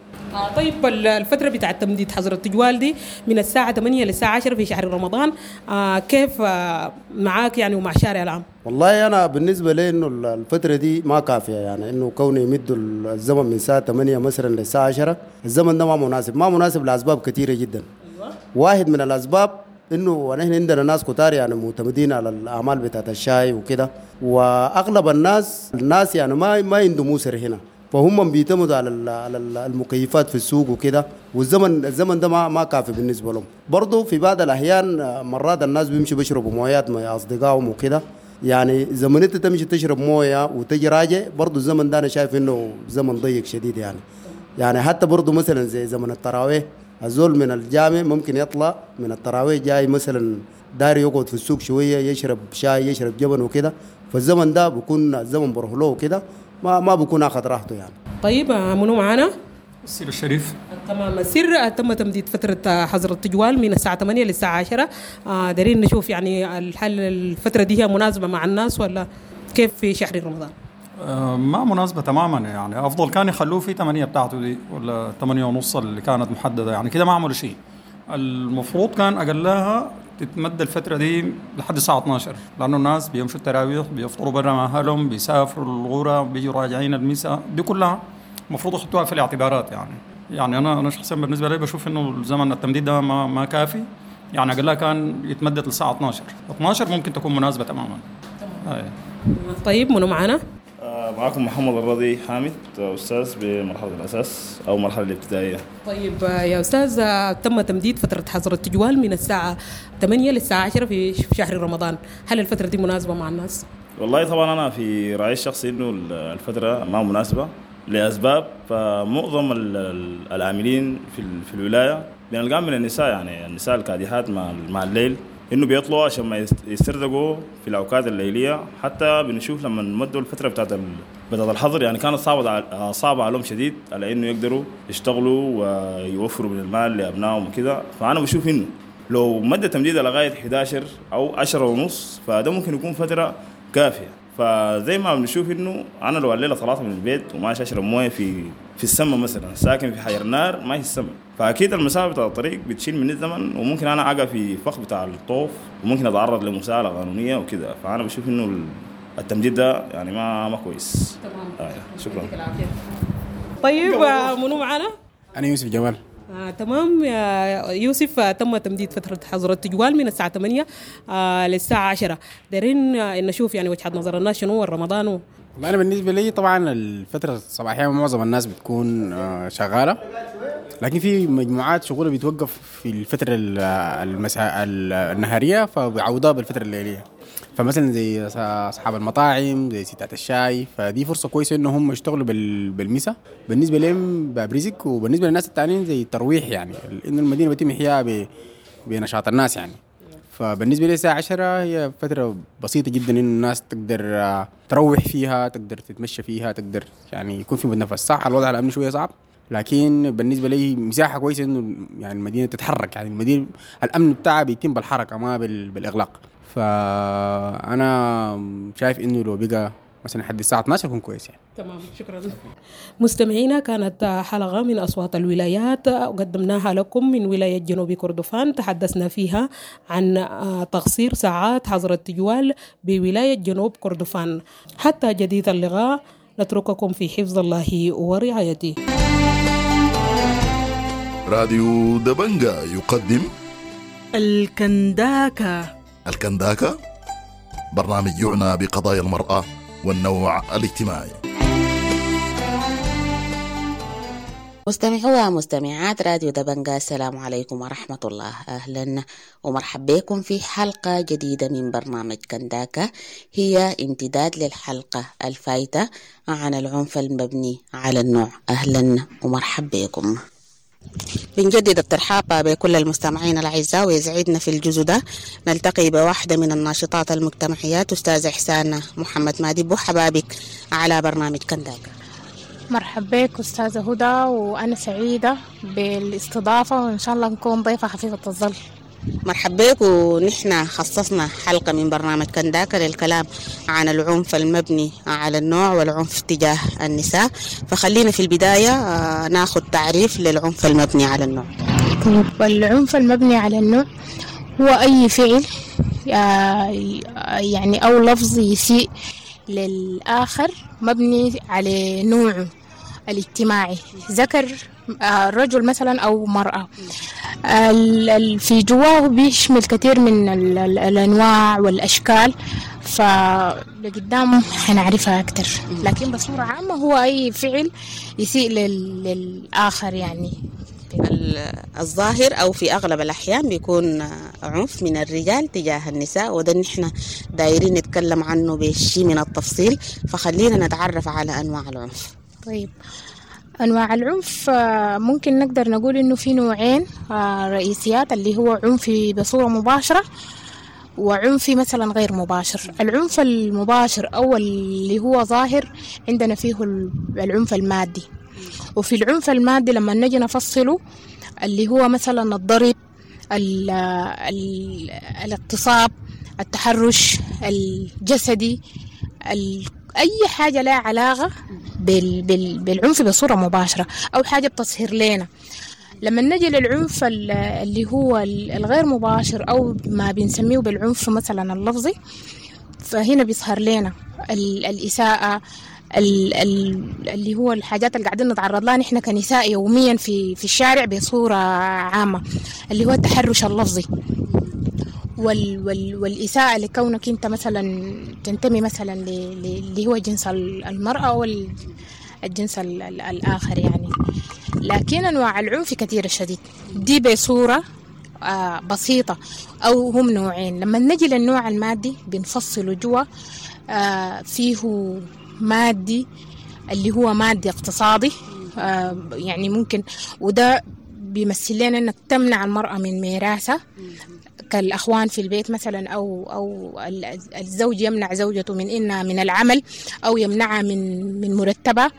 طيب الفترة بتاعة تمديد حظر التجوال دي من الساعة ثمانية للساعة عشرة في شهر رمضان، آه كيف آه معاك يعني ومع الشارع العام؟ والله أنا بالنسبة لي إنه الفترة دي ما كافية، يعني إنه كوني يمدوا الزمن من الساعة ثمانية مثلا للساعة عشرة، الزمن ده ما مناسب، ما مناسب لأسباب كثيرة جدا. أيوة. واحد من الأسباب إنه نحن عندنا ناس كتار يعني معتمدين على الأعمال بتاعة الشاي وكده، وأغلب الناس الناس يعني ما ما عندهم موسر هنا، فهم بيعتمدوا على على المكيفات في السوق وكده، والزمن الزمن ده ما ما كافي بالنسبة لهم. برضه في بعض الاحيان مرات الناس بيمشوا بيشربوا مويات مع اصدقائهم وكده، يعني زمن انت تمشي تشرب مويه وتجي راجع، برضه الزمن ده انا شايف انه زمن ضيق شديد يعني. يعني حتى برضه مثلا زي زمن التراويح، الزول من الجامع ممكن يطلع من التراويح جاي مثلا داري يقعد في السوق شوية يشرب شاي يشرب جبن وكده، فالزمن ده بيكون الزمن بروح له وكده، ما ما بكون اخذ راحته يعني. طيب منو معانا؟ السر الشريف. تمام. السر تم تمديد فترة حظر التجوال من الساعة ثمانية للساعة عشرة، آه دارين نشوف يعني الحل الفترة دي هي مناسبة مع الناس ولا كيف في شهر رمضان؟ ما مناسبة تماما، يعني أفضل كان يخلوه في ثمانية بتاعته دي ولا ثمانية ونص اللي كانت محددة، يعني كده ما عملوا شيء. المفروض كان أقلها تتمد الفترة دي لحد الساعة اثناشر، لأنه الناس بيمشوا التراويح، بيفطروا برا مع أهلهم، بيسافروا الغورة، بيجوا راجعين المساء، دي كلها المفروض يحطوها في الاعتبارات. يعني يعني أنا أنا شخصيا بالنسبة لي بشوف إنه الزمن التمديد ده ما ما كافي، يعني أقلها كان يتمدد للساعة اثناشر، اثناشر ممكن تكون مناسبة تماما. تمام. طيب منو معنا؟ معكم محمد الرضي حامد، أستاذ بمرحلة الأساس أو مرحلة الابتدائية. طيب يا أستاذ، تم تمديد فترة حظر التجوال من الساعة ثمانية للساعة عشرة في شهر رمضان، هل الفترة دي مناسبة مع الناس؟ والله طبعا أنا في رأيي الشخصي إنه الفترة ما مناسبة لأسباب. فمعظم العاملين في في الولاية بنلقاهم من النساء، يعني النساء الكادحات مع مع الليل انه بيطلعوا عشان ما يسترزقوا في الاوقات الليلية. حتى بنشوف لما مدوا الفترة بتاعت بتاعت الحظر يعني كانت صعبة صعبة عليهم شديد على انه يقدروا يشتغلوا ويوفروا من المال لابنائهم وكذا. فانا بشوف انه لو مد تمديدها لغاية احد عشر او عشرة ونص فده ممكن يكون فترة كافيه. فزي ما بنشوف انه انا لو الليلة طلعت من البيت وماشي اشرب مويه في في السماء مثلا، ساكن في حجر نار ماشي السماء، فاكيد المسافة بتاع الطريق بتشيل مني الزمن، وممكن انا اقع في فخ بتاع الطوف، وممكن اتعرض لمساءله قانونية وكذا. فانا بشوف انه التمديد ده يعني ما ما كويس. تمام. آه. شكرا. طيب منو معنا؟ انا يوسف جمال. آه، تمام يا يوسف، تم تمديد فترة حظر التجوال من الساعة ثمانية آه، للساعة عشرة. دارين آه، نشوف يعني وجهة نظر الناس شنو رمضان و... والله أنا بالنسبة لي طبعا الفترة الصباحية معظم الناس بتكون آه، شغالة، لكن في مجموعات شغلة بيتوقف في الفترة المساء النهارية فبيعوضوها بالفترة الليلية. فمثلا زي اصحاب المطاعم، زي ستات الشاي، فدي فرصة كويسة انه هم يشتغلوا بالمسا بالنسبة لهم باب رزق، وبالنسبة للناس الثانيين زي الترويح، يعني انه المدينة بيتم احياء بنشاط الناس يعني. فبالنسبه لي الساعة عشرة هي فترة بسيطة جدا انه الناس تقدر تروح فيها، تقدر تتمشى فيها، تقدر يعني يكون في متنفس. صح الوضع الامني شوية صعب، لكن بالنسبة لي مساحة كويسة انه يعني المدينة تتحرك، يعني المدينة الامن بتاعها بيتم بالحركة ما بالاغلاق. فأنا شايف إنه لو بقى مثلا لحد الساعة اثناشر يكون كويس يعني. تمام، شكرا. مستمعينا، كانت حلقة من أصوات الولايات قدمناها لكم من ولاية جنوب كردفان، تحدثنا فيها عن تقصير ساعات حظر التجوال بولاية جنوب كردفان. حتى جديد اللقاء، نترككم في حفظ الله ورعايته. راديو دبنجا يقدم الكنداكة. الكنداكة برنامج يعنى بقضايا المرأة والنوع الاجتماعي. مستمعوا ومستمعات راديو دبنجا، السلام عليكم ورحمة الله. أهلا ومرحبا بكم في حلقة جديدة من برنامج كنداكة، هي امتداد للحلقة الفايتة عن العنف المبني على النوع. أهلا ومرحبا بكم. بنجدد الترحاب بكل المستمعين الأعزاء، ويسعدنا في الجزء ده نلتقي بواحدة من الناشطات المجتمعيات، أستاذ إحسان محمد مادبو. حبابك على برنامج كنداكة. مرحبا بك أستاذة هدى، وأنا سعيدة بالاستضافة، وإن شاء الله نكون ضيفة خفيفة الظل. مرحبا بك. ونحن خصصنا حلقة من برنامج كنداكة للكلام عن العنف المبني على النوع والعنف تجاه النساء، فخلينا في البداية ناخذ تعريف للعنف المبني على النوع. طيب، العنف المبني على النوع هو أي فعل يعني أو لفظ يسيء للآخر مبني على نوعه الاجتماعي، ذكر رجل مثلا أو مرأة. في جواه بيشمل كثير من الأنواع والأشكال، فلقدام حنعرفها أكتر، لكن بصورة عامة هو أي فعل يسيء للآخر. يعني الظاهر أو في أغلب الأحيان بيكون عنف من الرجال تجاه النساء، وده نحن دايرين نتكلم عنه بشيء من التفصيل، فخلينا نتعرف على أنواع العنف. طيب، أنواع العنف ممكن نقدر نقول إنه في نوعين رئيسيات، اللي هو عنف بصورة مباشرة وعنف مثلا غير مباشر. العنف المباشر أو اللي هو ظاهر عندنا فيه العنف المادي، وفي العنف المادي لما نجي نفصله اللي هو مثلا الضرب، ال ال الاغتصاب، التحرش الجسدي، أي حاجة لها علاقة بال بال بالعنف بصورة مباشرة أو حاجة بتظهر لنا. لما نجي للعنف اللي هو الغير مباشر أو ما بنسميه بالعنف مثلا اللفظي، فهنا بيظهر لنا الإساءة، اللي هو الحاجات اللي قاعدين نتعرض لها نحن كنساء يوميا في في الشارع بصورة عامة، اللي هو التحرش اللفظي وال وال والإساءة لكونك أنت مثلا تنتمي مثلا اللي هو جنس المرأة أو الجنس الآخر يعني. لكن أنواع العنف كثيرة شديد، دي بصورة آه بسيطة أو هم نوعين. لما نجي للنوع المادي بنفصله جوا، آه فيه مادي اللي هو مادي اقتصادي، آه يعني ممكن، وده بيمثل لنا أنك تمنع المرأة من ميراثها كالأخوان في البيت مثلا، أو أو الزوج يمنع زوجته من إنها من العمل أو يمنعها من من مرتبة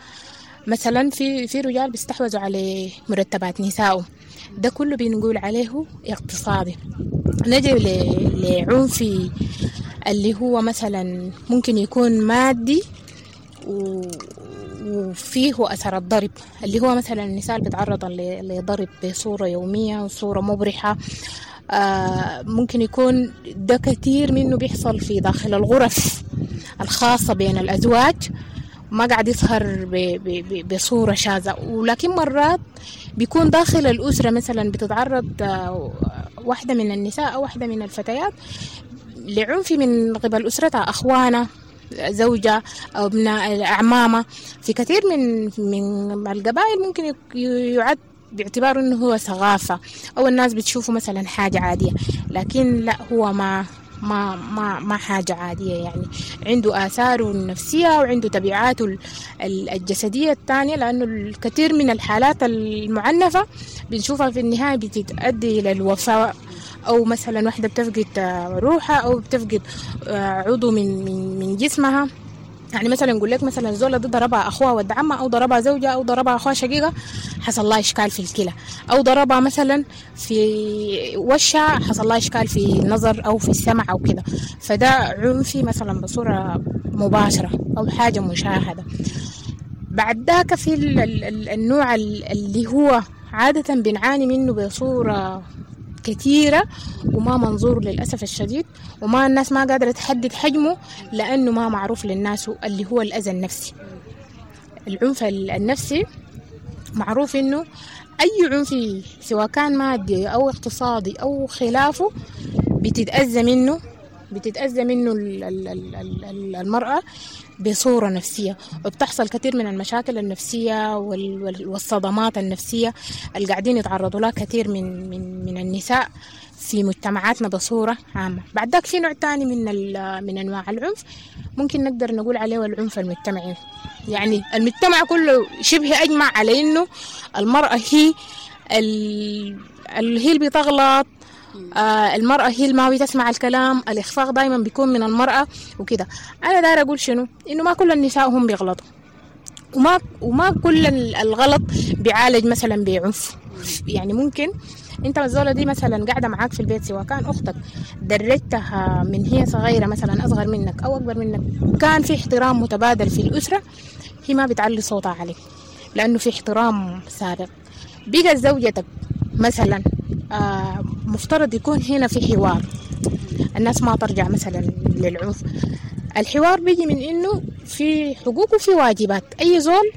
مثلا. في في رجال بيستحوذوا على مرتبات نسائهم، ده كله بنقول عليه اقتصادي. نجي لعنف اللي هو مثلا ممكن يكون مادي وفيه أثر الضرب، اللي هو مثلا النساء بتعرض لضرب بصورة يومية وصورة مبرحة. آه ممكن يكون ده كثير منه بيحصل في داخل الغرف الخاصة بين الأزواج، ما قاعد يظهر بصورة شاذة. ولكن مرات بيكون داخل الأسرة مثلا بتتعرض واحدة من النساء أو واحدة من الفتيات لعنف من قبل أسرتها، أخوانها، زوجة أو ابناء أعمامها. في كثير من من القبائل ممكن يعد باعتباره أنه هو ثقافة أو الناس بتشوفه مثلا حاجة عادية، لكن لا، هو ما ما ما ما حاجة عادية يعني. عنده آثاره النفسية وعنده تبعاته الجسدية الثانية، لأنه الكثير من الحالات المعنفة بنشوفها في النهاية بتتأدي إلى الوفاة، أو مثلا واحدة بتفقد روحها أو بتفقد عضو من من من جسمها. يعني مثلا نقول لك مثلا الزولة دي ضربها أخوها ود عمها، أو ضربها زوجها، أو ضربها أخوها شقيقة، حصل لها إشكال في الكلى، أو ضربها مثلا في وشها حصل لها إشكال في النظر أو في السمع أو كده. فده عنفي مثلا بصورة مباشرة أو حاجة مشاهدة. بعد ذاك في النوع اللي هو عادة بنعاني منه بصورة كثيرة وما منظور للأسف الشديد، وما الناس ما قادرة تحدد حجمه لأنه ما معروف للناس، اللي هو الأذى النفسي. العنف النفسي معروف إنه أي عنف سواء كان مادي أو اقتصادي أو خلافه بتتأذى منه بتتأذى منه المرأة بصورة نفسية، وبتحصل كثير من المشاكل النفسية والصدمات النفسية اللي قاعدين يتعرضوا لها كثير من من من النساء في مجتمعاتنا بصورة عامة. بعد ذاك في نوع تاني من من أنواع العنف ممكن نقدر نقول عليه العنف المجتمعي. يعني المجتمع كله شبه أجمع على إنه المرأة هي اللي هي اللي بتغلط، آه المرأة هي اللي ما بتسمع الكلام، الإخفاق دايما بيكون من المرأة وكده. أنا داير أقول شنو؟ إنه ما كل النساء هم بيغلطوا، وما وما كل الغلط بيعالج مثلا بعنف. يعني ممكن أنت الزولة دي مثلا قاعدة معاك في البيت، سواء كان أختك درجتها من هي صغيرة مثلا أصغر منك أو أكبر منك، كان في احترام متبادل في الأسرة، هي ما بتعلي صوتها عليك لأنه في احترام سابق. بقى زوجتك مثلا آه مفترض يكون هنا في حوار، الناس ما ترجع مثلا للعنف. الحوار بيجي من إنه في حقوق وفي واجبات، أي زول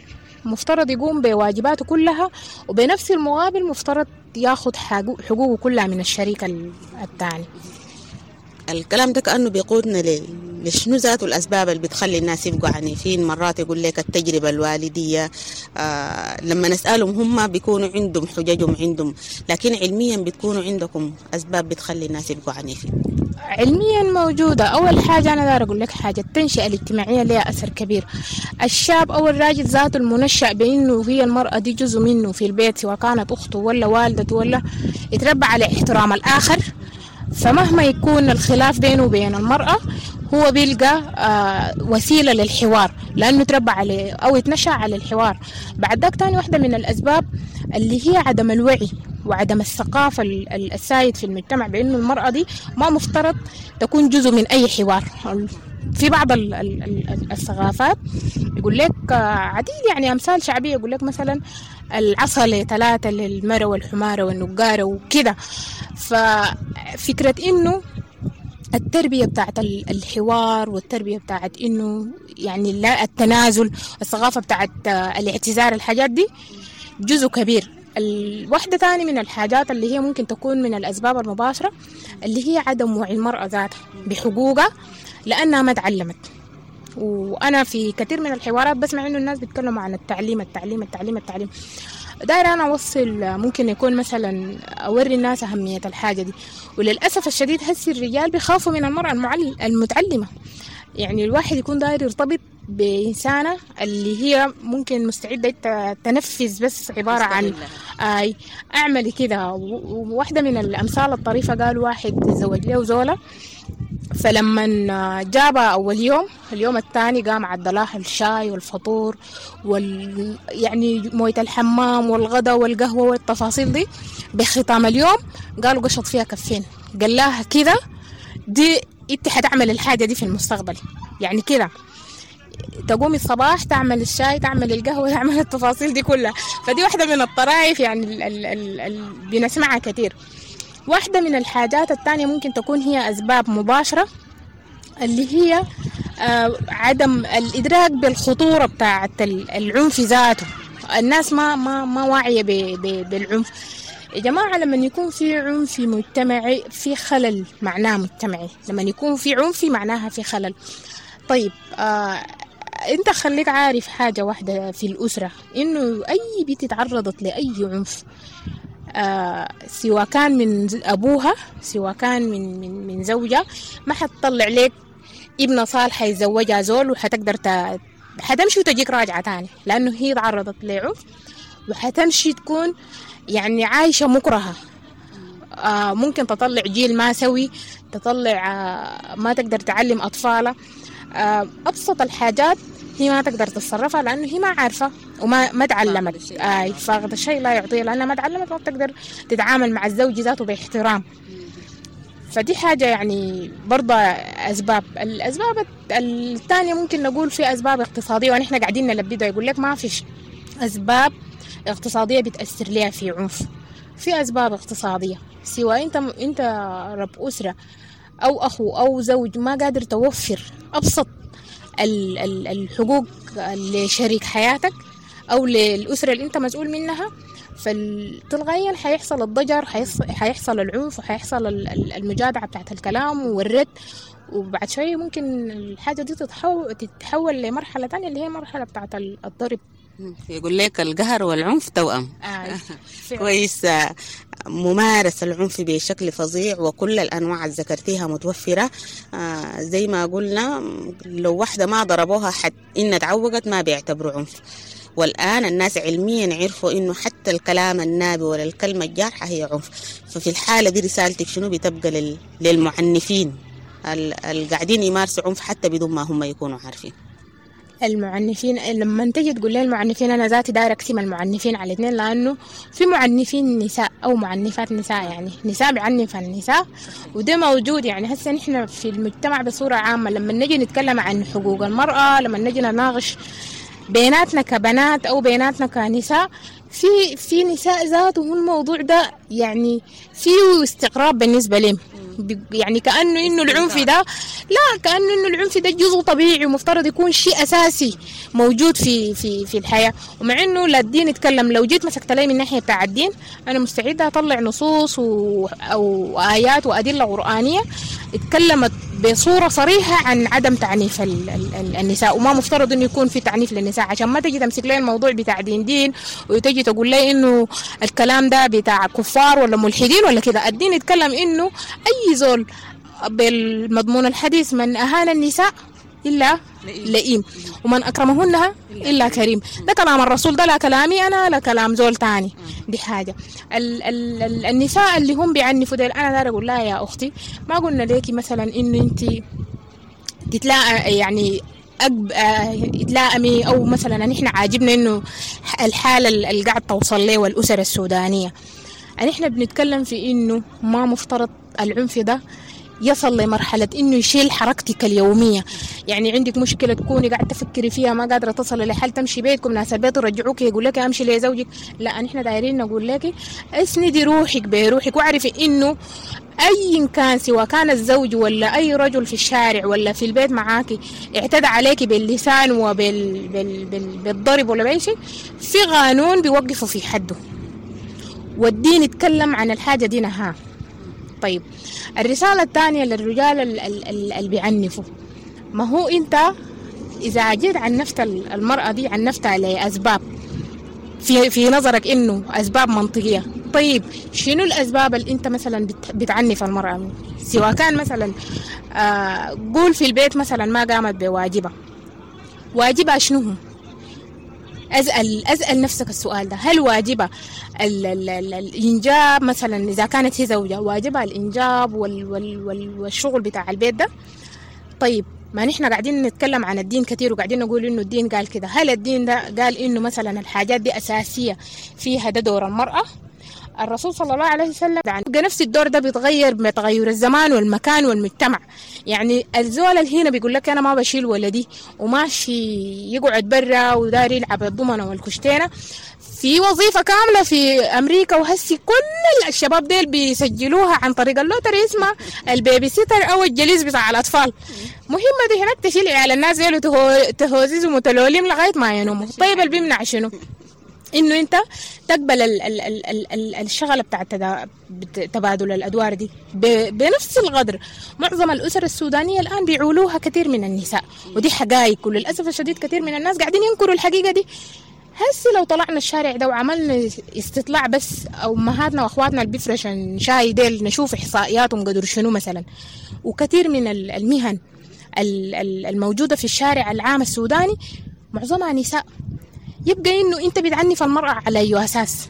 مفترض يقوم بواجباته كلها، وبنفس المقابل مفترض ياخد حقوقه كلها من الشريك الثاني. الكلام ده كأنه بيقودنا لشنو ذاته الأسباب اللي بتخلي الناس يبقوا عنيفين. مرات يقول لك التجربة الوالدية، آه لما نسألهم هم بيكونوا عندهم حججهم عندهم، لكن علميا بتكونوا عندكم أسباب بتخلي الناس يبقوا عنيفين. علميا موجودة. أول حاجة أنا دار أقول لك حاجة، التنشئة الاجتماعية لها أثر كبير. الشاب أو الراجل ذاته المنشأ بأنه هي المرأة دي جزء منه في البيت، سواء كانت أخته ولا والدته ولا، يتربى على احترام الآخر. فمهما يكون الخلاف بينه وبين المرأة هو بيلقى وسيلة للحوار لأنه تربى عليه أو يتنشأ على الحوار. بعد ذاك تاني واحدة من الأسباب اللي هي عدم الوعي وعدم الثقافة السائد في المجتمع بأنه المرأة دي ما مفترض تكون جزء من أي حوار. في بعض ال ال ال الثقافات يقول لك عديد يعني أمثال شعبية، يقول لك مثلا العصا لثلاثة للمرة والحمارة والنقارة وكده. ففكرة إنه التربية بتاعت الحوار والتربية بتاعت إنه يعني لا التنازل، الثقافة بتاعت الاعتذار، الحاجات دي جزء كبير. الواحدة تاني من الحاجات اللي هي ممكن تكون من الأسباب المباشرة اللي هي عدم وعي المرأة ذاتها بحقوقها لأنها ما تعلمت. وأنا في كثير من الحوارات بسمع إنه الناس بيتكلموا عن التعليم التعليم التعليم التعليم. دايرة أنا أوصل ممكن يكون مثلا أوري الناس أهمية الحاجة دي، وللأسف الشديد هسي الرجال بيخافوا من المرأة المتعلمة. يعني الواحد يكون داير يرتبط بإنسانة اللي هي ممكن مستعدة تنفذ بس عبارة عن آي أعمل كده. وواحدة من الأمثال الطريفة قال واحد تزوج له زولة، فلما جابها أول يوم، اليوم الثاني قام عدلها الشاي والفطور وال يعني موية الحمام والغداء والقهوة والتفاصيل دي. بختام اليوم قالوا قشط فيها كفين، قال لها كده دي انت حتعمل الحاجة دي في المستقبل. يعني كده تقومي الصباح تعمل الشاي تعمل القهوة تعمل التفاصيل دي كلها. فدي واحدة من الطرائف يعني ال ال ال ال بنسمعها كتير. واحدة من الحاجات الثانية ممكن تكون هي أسباب مباشرة اللي هي آه عدم الإدراك بالخطورة بتاعة العنف ذاته. الناس ما ما ما واعية بالعنف يا جماعة. لما يكون في عنف مجتمعي في خلل، معناه مجتمعي. لما يكون في عنف معناها في خلل. طيب آه انت خليك عارف حاجة واحدة في الأسرة، إنه أي بنت تعرضت لأي عنف آه سواء كان من أبوها سواء كان من من من زوجها، ما حتطلع لك ابنة صالحة يتزوجها زول وحتقدر ت... حتمشي وتجيك راجعة تاني، لأنه هي تعرضت لعنف وحتمشي تكون يعني عايشة مكرهة. آه ممكن تطلع جيل ما سوي، تطلع آه ما تقدر تعلم أطفالها. آه أبسط الحاجات هي ما تقدر تتصرفها لأنه هي ما عارفة وما ما تعلمت. آه فاقد الشيء لا يعطيه، لأنها ما تعلمت ما بتقدر تتعامل مع الزوج ذاته باحترام. فدي حاجة يعني برضه أسباب. الأسباب الثانية ممكن نقول في أسباب اقتصادية، ونحن قاعدين نلبدها. يقول لك ما فيش أسباب اقتصادية بتأثر لها في عنف. في أسباب اقتصادية، سواء أنت أنت رب أسرة أو أخو أو زوج ما قادر توفر أبسط الحقوق لشريك حياتك أو للأسرة اللي أنت مسؤول منها، فتلقائيا حيحصل الضجر، حيحصل العنف، وحيحصل المجادعة بتاعت الكلام والرد. وبعد شوية ممكن الحاجة دي تتحول, تتحول لمرحلة تانية اللي هي مرحلة بتاعت الضرب. يقول لك القهر والعنف توأم. آه. كويس. ممارسة العنف بشكل فظيع وكل الأنواع اللي ذكرتيها متوفرة. آه زي ما قلنا لو واحدة ما ضربوها حتى إن تعوقت ما بيعتبروا عنف. والآن الناس علميا عرفوا إنه حتى الكلام النابي ولا الكلمة الجارحة هي عنف. ففي الحالة دي رسالتك شنو بتبقى لل... للمعنفين القاعدين يمارسوا عنف حتى بدون ما هم يكونوا عارفين؟ المعنفين لما تجي تقول لي المعنفين، أنا ذاتي داير أقسم المعنفين على اثنين، لأنه في معنفين نساء أو معنفات نساء، يعني نساء بيعنف النساء وده موجود. يعني هسه نحن في المجتمع بصورة عامة لما نجي نتكلم عن حقوق المرأة، لما نجي نناقش بيناتنا كبنات أو بيناتنا كنساء، في في نساء ذاته الموضوع ده يعني فيه استغراب بالنسبة لهم، يعني كأنه إنه العنف ده لا، كأنه إنه العنف ده جزء طبيعي ومفترض يكون شيء أساسي موجود في في في الحياة. ومع إنه لا الدين يتكلم، لو جيت مسكت لي من ناحية بتاع الدين أنا مستعدة أطلع نصوص و أو آيات وأدلة قرآنية اتكلمت بصورة صريحة عن عدم تعنيف ال ال النساء، وما مفترض إنه يكون في تعنيف للنساء. عشان ما تجي تمسك لي الموضوع بتاع دين دين وتجي تقول لي إنه الكلام ده بتاع كفار ولا ملحدين ولا كده. الدين يتكلم إنه أي زول بالمضمون الحديث من أهان النساء إلا لئيم ومن أكرمهن إلا كريم. ده كلام الرسول، ده لا كلامي أنا لا كلام زول تاني. دي حاجة. ال ال ال النساء اللي هم بيعنفوا ديل، أنا دار أقول لها يا أختي ما قلنا ليكي مثلا إنه أنت تتلاقى يعني أجب تلائمي، أو مثلا نحن عاجبنا إنه الحالة اللي قاعد توصل له والأسر السودانية. نحن بنتكلم في إنه ما مفترض العنف ده يصل لمرحلة إنه يشيل حركتك اليومية. يعني عندك مشكلة تكوني قاعدة تفكري فيها ما قادرة تصل لحل، تمشي بيتكم ناس البيت يرجعوك يقول لك أمشي لزوجك. لا، نحن دايرين نقول لك اسندي روحك بروحك، واعرفي إنه أي كان سواء كان الزوج ولا أي رجل في الشارع ولا في البيت معاكي اعتدى عليكي باللسان وبال بال بال بالضرب ولا بأي شيء، في قانون بيوقفه في حده، والدين يتكلم عن الحاجة دي نهاه. طيب الرسالة الثانية للرجال اللي بيعنفوا، ما هو أنت إذا جيت عنفت المرأة دي عنفتها لأسباب في في نظرك إنه أسباب منطقية. طيب شنو الأسباب اللي أنت مثلا بتعنف المرأة؟ سواء كان مثلا آه قول في البيت مثلا ما قامت بواجبها، واجبها شنو هو؟ أسأل أسأل نفسك السؤال ده، هل واجبها ال ال ال الإنجاب مثلا؟ إذا كانت هي زوجة واجبها الإنجاب وال وال وال والشغل بتاع البيت ده؟ طيب ما نحن قاعدين نتكلم عن الدين كثير وقاعدين نقول إنه الدين قال كده، هل الدين ده قال إنه مثلا الحاجات دي أساسية فيها ده دور المرأة؟ الرسول صلى الله عليه وسلم يعني نفس الدور ده بيتغير بتغير الزمان والمكان والمجتمع. يعني الزول اللي هنا بيقول لك أنا ما بشيل ولدي وماشي يقعد برا وداري يلعب الضمنة والكشتينة، في وظيفة كاملة في أمريكا وهسي كل الشباب ديل بيسجلوها عن طريق ال lottery اسمها ال babysitter أو الجليس بتاع الأطفال. مهمة دي هناك تشيل عيال الناس ديل وتهوزيزهم وتلوليم لغاية ما ينوموا. طيب اللي بيمنع شنو؟ إنه أنت تقبل ال ال ال ال الشغلة بتاع تبادل الأدوار دي بنفس القدر. معظم الأسر السودانية الآن بيعولوها كثير من النساء، ودي حقائق، وللأسف الشديد كثير من الناس قاعدين ينكروا الحقيقة دي. هسي لو طلعنا الشارع ده وعملنا استطلاع بس، أو أمهاتنا وأخواتنا اللي بيفرشن شاي ديل نشوف إحصائياتهم قدر شنو مثلا. وكثير من المهن الموجودة في الشارع العام السوداني معظمها نساء. يبقى إنه أنت بتعنف المرأة على أي أساس؟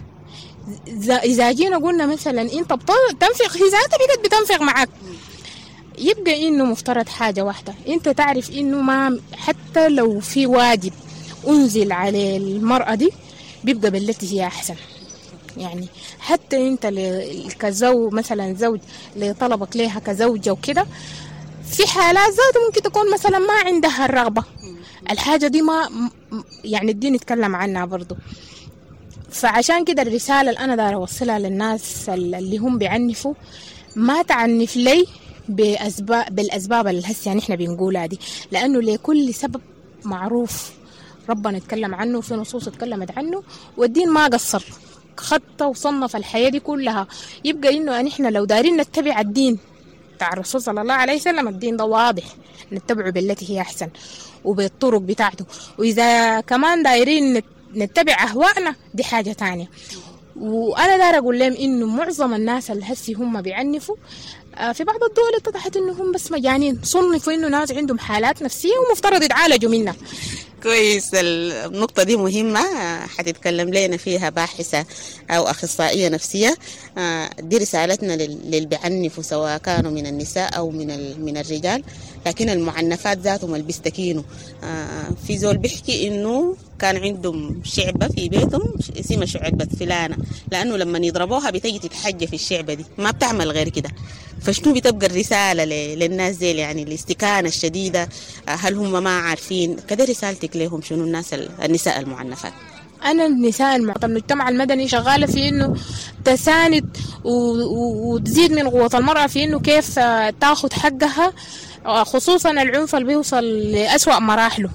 إذا جينا قلنا مثلا أنت بتنفق، هي ذاتها بقت بتنفق معك. يبقى إنه مفترض حاجة واحدة، أنت تعرف إنه ما حتى لو في واجب أنزل على المرأة دي بيبقى بالتي هي أحسن. يعني حتى أنت كزوج مثلا، زوج لطلبك ليها كزوجة وكده، في حالات ذاته ممكن تكون مثلا ما عندها الرغبة، الحاجة دي ما يعني الدين يتكلم عنها برضو. فعشان كده الرسالة اللي أنا دار أوصلها للناس اللي هم بيعنفوا، ما تعنف لي بأسباب بالأسباب اللي هسه يعني إحنا بنقولها دي، لأنه لكل سبب معروف ربنا يتكلم عنه وفي نصوص اتكلمت عنه، والدين ما قصر خطة وصنف الحياة دي كلها. يبقى إنه نحن لو دارين نتبع الدين بتاع الرسول صلى الله عليه وسلم، الدين ده واضح نتبعه بالتي هي أحسن وبالطرق بتاعته، وإذا كمان دايرين نتبع أهوائنا دي حاجة تانية. وأنا دار أقول لهم إنه معظم الناس اللي هسي هم بيعنفوا في بعض الدول اتضحت إنهم بس مجانين، صنفوا إنه ناس عندهم حالات نفسية ومفترض يتعالجوا منها. كويس، النقطة دي مهمة حتتكلم لنا فيها باحثة أو أخصائية نفسية. دي رسالتنا للي بيعنفوا سواء كانوا من النساء أو من من الرجال، لكن المعنفات ذاتهم اللي بيستكينوا. في زول بيحكي إنه كان عندهم شعبة في بيتهم اسمها شعبة فلانة، لأنه لما يضربوها بتجي تتحجى في الشعبة دي، ما بتعمل غير كده. فشنو بتبقى الرسالة للناس دي؟ يعني الاستكانة الشديدة، هل هم ما عارفين كده؟ رسالتك لهم شنو الناس النساء المعنفات؟ أنا النساء المجتمع المدني شغالة في إنه تساند وتزيد من قوة المرأة في إنه كيف تاخد حقها، خصوصا العنف اللي بيوصل لأسوأ مراحله.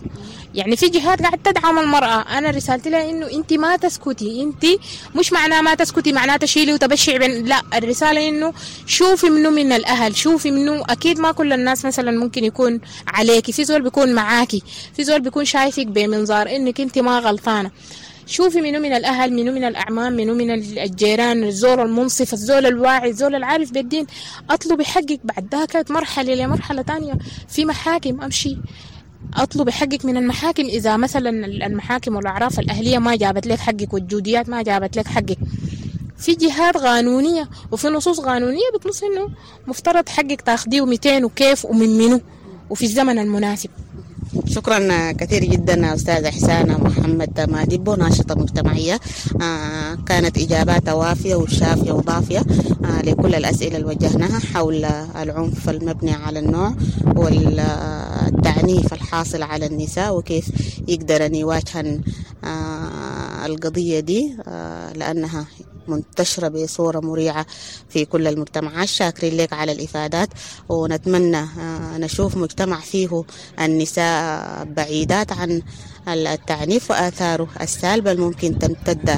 يعني في جهات قاعدة تدعم المرأة. أنا رسالتي لها إنه أنت ما تسكتي، أنت مش معناه ما تسكتي معناه تشيلي وتبشعي بين، لا، الرسالة إنه شوفي منه من الأهل، شوفي منه. أكيد ما كل الناس مثلا ممكن يكون عليكي، في زول بيكون معاكي، في زول بيكون شايفك بمنظار إنك أنت ما غلطانة. شوفي منه من الأهل، منه من الأعمام، منه من الجيران، الزول المنصف، الزول الواعي، الزول العارف بالدين. أطلبي حقك. بعد ذاك مرحلة لمرحلة تانية في محاكم، أمشي أطلب حقك من المحاكم. إذا مثلا المحاكم والأعراف الأهلية ما جابت لك حقك والجوديات ما جابت لك حقك، في جهات قانونية وفي نصوص قانونية بتنص إنه مفترض حقك تاخديه مئتين وكيف ومن منه وفي الزمن المناسب. شكرا كثير جدا أستاذة إحسان محمد مادبو، ناشطة مجتمعية، آه، كانت إجاباتها وافية وشافية وضافية آه، لكل الأسئلة اللي وجهناها حول العنف المبني على النوع والتعنيف الحاصل على النساء وكيف يقدرن يواجهن آه، القضية دي آه، لأنها منتشرة بصورة مريعة في كل المجتمعات. شاكرين لك على الإفادات، ونتمنى آه، نشوف مجتمع فيه النساء بعيدات عن التعنيف وآثاره السالبة الممكن تمتد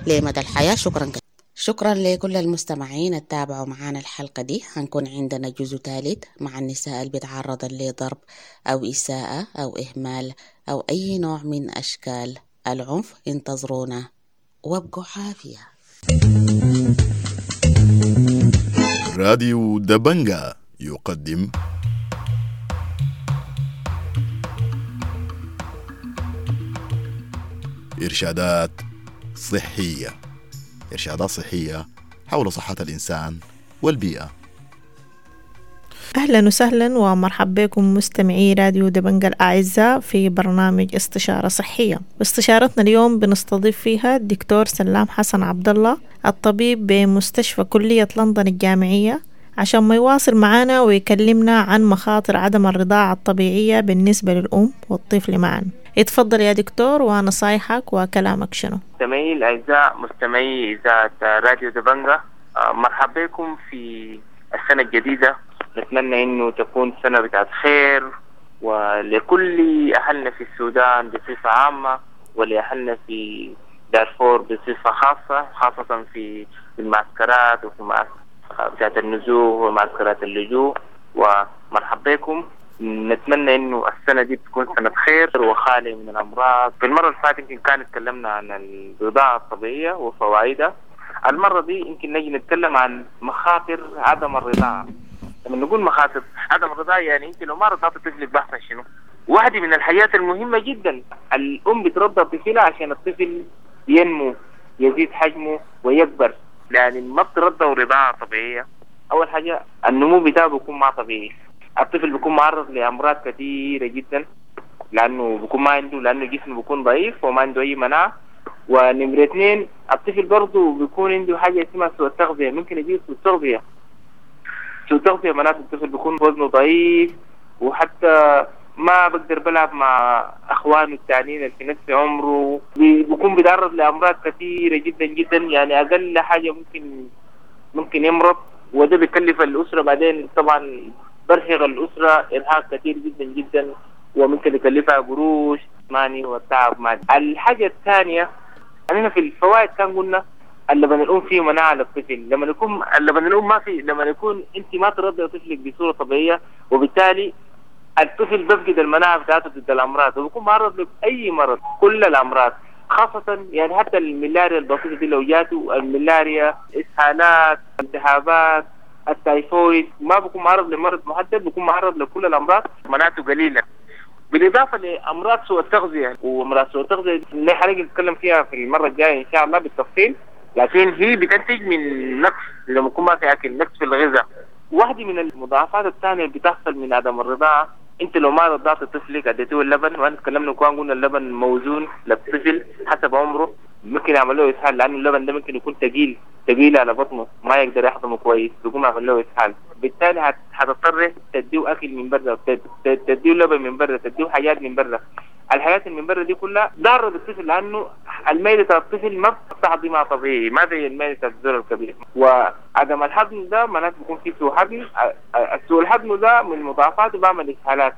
لمدى الحياة. شكرا كثيرا. شكرا لكل المستمعين التابعوا معنا الحلقة دي. هنكون عندنا جزء ثالث مع النساء اللي بيتعرضن لضرب أو إساءة أو إهمال أو أي نوع من أشكال العنف. انتظرونا وابقوا عافية. راديو دبنجا يقدم إرشادات صحية، إرشادات صحية حول صحة الإنسان والبيئة. أهلا وسهلا ومرحبا بكم مستمعي راديو دبنجا الأعزاء في برنامج استشارة صحية. استشارتنا اليوم بنستضيف فيها الدكتور سلام حسن عبد الله، الطبيب بمستشفى كلية لندن الجامعية، عشان ما يواصل معنا ويكلمنا عن مخاطر عدم الرضاعة الطبيعية بالنسبة للأم والطفل معا. اتفضل يا دكتور، ونصايحك وكلامك شنو؟ مستمعي الأعزاء، مستمعي إذاعة راديو دبنجا، مرحبا بكم في السنة الجديدة. نتمنى إنه تكون سنة بتاعت خير ولكل أهلنا في السودان بصفة عامة ولأهلنا في دارفور بصفة خاصة، خاصة في المعسكرات وفي معسكرات بتاعت النزوح ومعسكرات اللجوء. ومرحبا بكم، نتمنى إنه السنة دي تكون سنة خير وخالية من الأمراض. في المرة اللي فاتت يمكن كان اتكلمنا عن الرضاعة الطبيعية وفوائدها. المرة دي يمكن نجي نتكلم عن مخاطر عدم الرضاعة. لما نقول مخاطر عدم الرضاعة يعني انت لو ما رضعت طفلك بحصل شنو؟ واحدة من الحاجات المهمة جدا، الأم بترضع طفلها عشان الطفل ينمو، يزيد حجمه ويكبر. يعني ما بترضع رضاعة طبيعية، أول حاجة النمو بتاعه بيكون ما طبيعي، الطفل بيكون معرض لأمراض كثيرة جدا لأنه بيكون ما عنده، لأنه جسمه بيكون ضعيف وما عنده أي مناعة. ونمرة اثنين، الطفل برضه بيكون عنده حاجة اسمها سوء التغذية، ممكن يجيه سوء التغذية. سوء التغذية معناته الطفل بيكون وزنه ضعيف وحتى ما بقدر بلعب مع اخوانه التانيين اللي في نفس عمره، بيكون بيتعرض لامراض كثيره جدا جدا. يعني اقل حاجه ممكن ممكن يمرض، وده بيكلف الاسره بعدين طبعا، برهق الاسره ارهاق كثير جدا جدا، وممكن يكلفها قروش ماني والتعب مالي. الحاجه الثانيه، احنا في الفوائد كان قلنا اللبن الام فيه مناعه للطفل. لما يكون اللبن الام ما في، لما يكون انت ما ترضي طفلك بصوره طبيعيه، وبالتالي الطفل بيفقد المناعه بتاعته ضد الامراض، وبيكون معرض لاي مرض، كل الامراض، خاصه يعني حتى الملاريا البسيطه دي لو جاته الملاريا، اسهالات، التهابات، التايفويد، ما بيكون معرض لمرض محدد، بيكون معرض لكل الامراض، مناعته قليله. بالاضافه لامراض سوء التغذيه، وامراض سوء التغذيه اللي حنيجي نتكلم فيها في المره الجايه ان شاء الله بالتفصيل، لكن هي بتنتج من نقص لما يكون ما في اكل، نقص في الغذاء. واحدة من المضاعفات الثانية اللي بتحصل من عدم الرضاعة، انت لو ما رضعت طفلك اديته اللبن، وانا تكلمنا كمان قلنا اللبن موزون للطفل حسب عمره، ممكن يعمل له اسهال، لانه اللبن ده ممكن يكون ثقيل ثقيل على بطنه، ما يقدر يهضمه كويس، بيقوم يعمل له اسهال. بالتالي هتضطر تديه اكل من برا، تديه لبن من برا، تديه حاجات من برا. الحاجات اللي من برا دي كلها ضارة بالطفل، لانه الميلة بتاع الطفل ما بتهضمها طبيعي، ما زي الميلة بتاع الزول الكبير. وعدم الهضم ده معناته بيكون في سوء هضم، سوء الهضم ده من مضاعفاته بعمل اسهالات،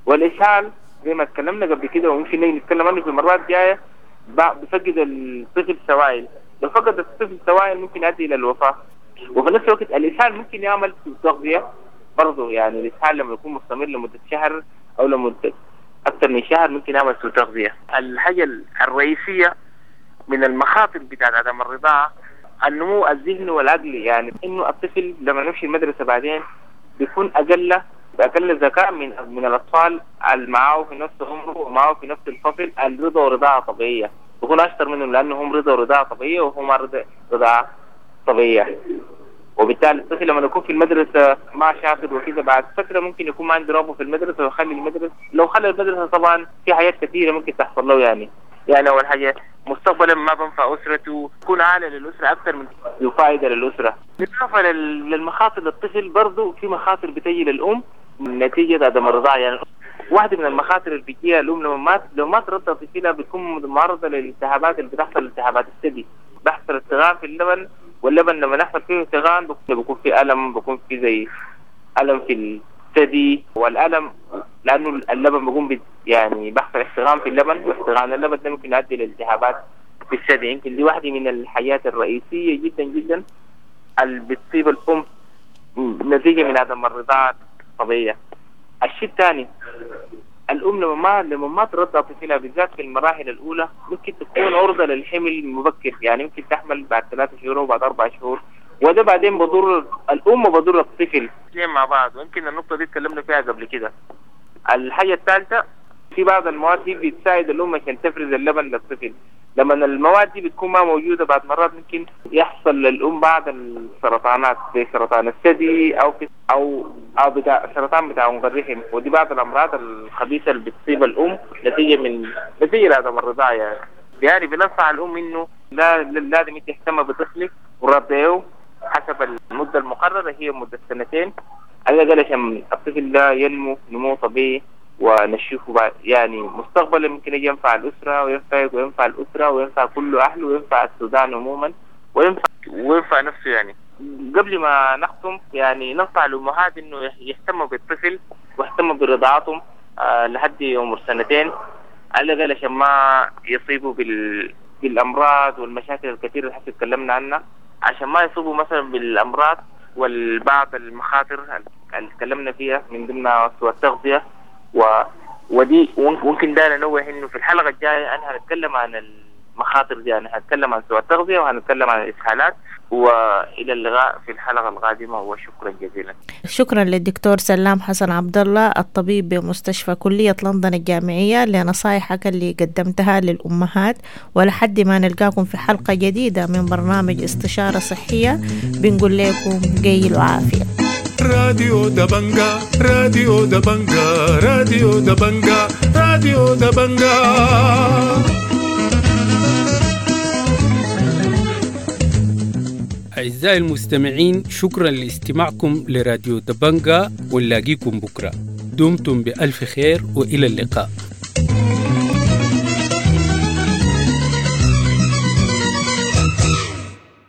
والاسهال زي ما تكلمنا قبل كده وممكن نيجي نتكلم عنه في المرات الجايه، بفقد الطفل سوائل، لو فقد الطفل سوائل ممكن يؤدي الى الوفاه. وفي نفس الوقت الاسهال ممكن يعمل سوء تغذيه برضه، يعني الاسهال لما يكون مستمر لمده شهر او لمده أكثر من شهر ممكن يعمل سوء تغذية. الحاجة الرئيسية من المخاطر بتاعت عدم الرضاعة النمو الذهني والعقلي، يعني إنه الطفل لما يمشي المدرسة بعدين بيكون أقل أقل ذكاء من من الأطفال اللي معاه في نفس عمره ومعاه في نفس الفصل الرضا ورضاعة طبيعية، بيكون أشطر منهم لأنه هم رضا ورضاعة طبيعية وهم رضا رضاعة طبيعية. وبالتالي الطفل لما يكون في المدرسة ما شاطر وكذا، بعد فترة ممكن يكون ما عنده رغبة في المدرسة ويخلي المدرسة. لو خلى المدرسة طبعا في حاجات كثيرة ممكن تحصل له، يعني يعني اول حاجة مستقبلا ما بنفع اسرته، يكون عالة للاسرة اكثر من فائدة للاسرة. بالاضافة للمخاطر للطفل برضه في مخاطر بتجي للام نتيجة عدم الرضاعة. يعني واحدة من المخاطر اللي بتجيها الام لما ما لو ما ترضع طفلها بتكون معرضه للالتهابات اللي بتحصل، التهابات الثدي، بيحصل احتقان في اللبن، واللبن لما يحصل فيه احتقان بيكون في الم، بيكون في زي الم في الثدي، والالم لانه اللبن بيكون يعني بيحصل احتقان في اللبن، واحتقان اللبن ده ممكن يؤدي لالتهابات في الثدي. يمكن دي واحدة من الحاجات الرئيسية جدا جدا اللي بتصيب الام نتيجة من عدم الرضاعة الطبيعية. الشيء الثاني، الام لما ما لما ما ترضع طفلها بالذات في المراحل الاولى ممكن تكون عرضه للحمل المبكر، يعني ممكن تحمل بعد ثلاثة شهور وبعد اربع شهور، وده بعدين بضر الام وبضر الطفل الاثنين مع بعض، ويمكن النقطة دي تكلمنا فيها قبل كده. الحاجة الثالثة، في بعض المواد دي بتساعد الام عشان تفرز اللبن للطفل، لما المواد دي بتكون ما موجودة بعد مرات ممكن يحصل للام بعض السرطانات زي سرطان الثدي او في او او بتاع سرطان بتاع عنق الرحم، ودي بعض الامراض الخبيثة اللي بتصيب الام نتيجة من نتيجة لعدم الرضاعة. يعني يعني بننصح الام انه لا لازم انت تهتم بطفلك ورضعيه حسب المدة المقررة، هي مده سنتين على الاقل عشان الطفل ده ينمو نمو طبيعي ونشوفه بعد يعني مستقبلا ممكن يجي ينفع الأسرة وينفع وينفع الأسرة وينفع كل أهله وينفع السودان عموما وينفع وينفع نفسه. يعني قبل ما نختم يعني ننصح الأمهات إنه يهتموا بالطفل ويهتموا برضاعتهم آه لحد عمر سنتين على الأقل عشان ما يصيبوا بال بالأمراض والمشاكل الكثيرة اللي حتى تكلمنا عنها، عشان ما يصيبوا مثلا بالأمراض والبعض المخاطر اللي تكلمنا فيها من ضمنها سوء التغذية و... ودي ممكن ده ننوه انه في الحلقة الجاية انا هنتكلم عن المخاطر دي، انا هنتكلم عن سوء التغذية وهنتكلم عن الاسهالات. والى اللقاء في الحلقة القادمة وشكرا جزيلا. شكرا للدكتور سلام حسن عبد الله الطبيب بمستشفى كليه لندن الجامعية لنصائحك اللي قدمتها للامهات، ولحد ما نلقاكم في حلقة جديدة من برنامج استشاره صحية بنقول لكم قيل وعافيه. راديو دبنجا، راديو دبنجا، راديو دبنجا، راديو دبنجا. أعزائي المستمعين، شكرا لاستماعكم لراديو دبنجا، ونلاقيكم بكرة. دمتم بألف خير وإلى اللقاء.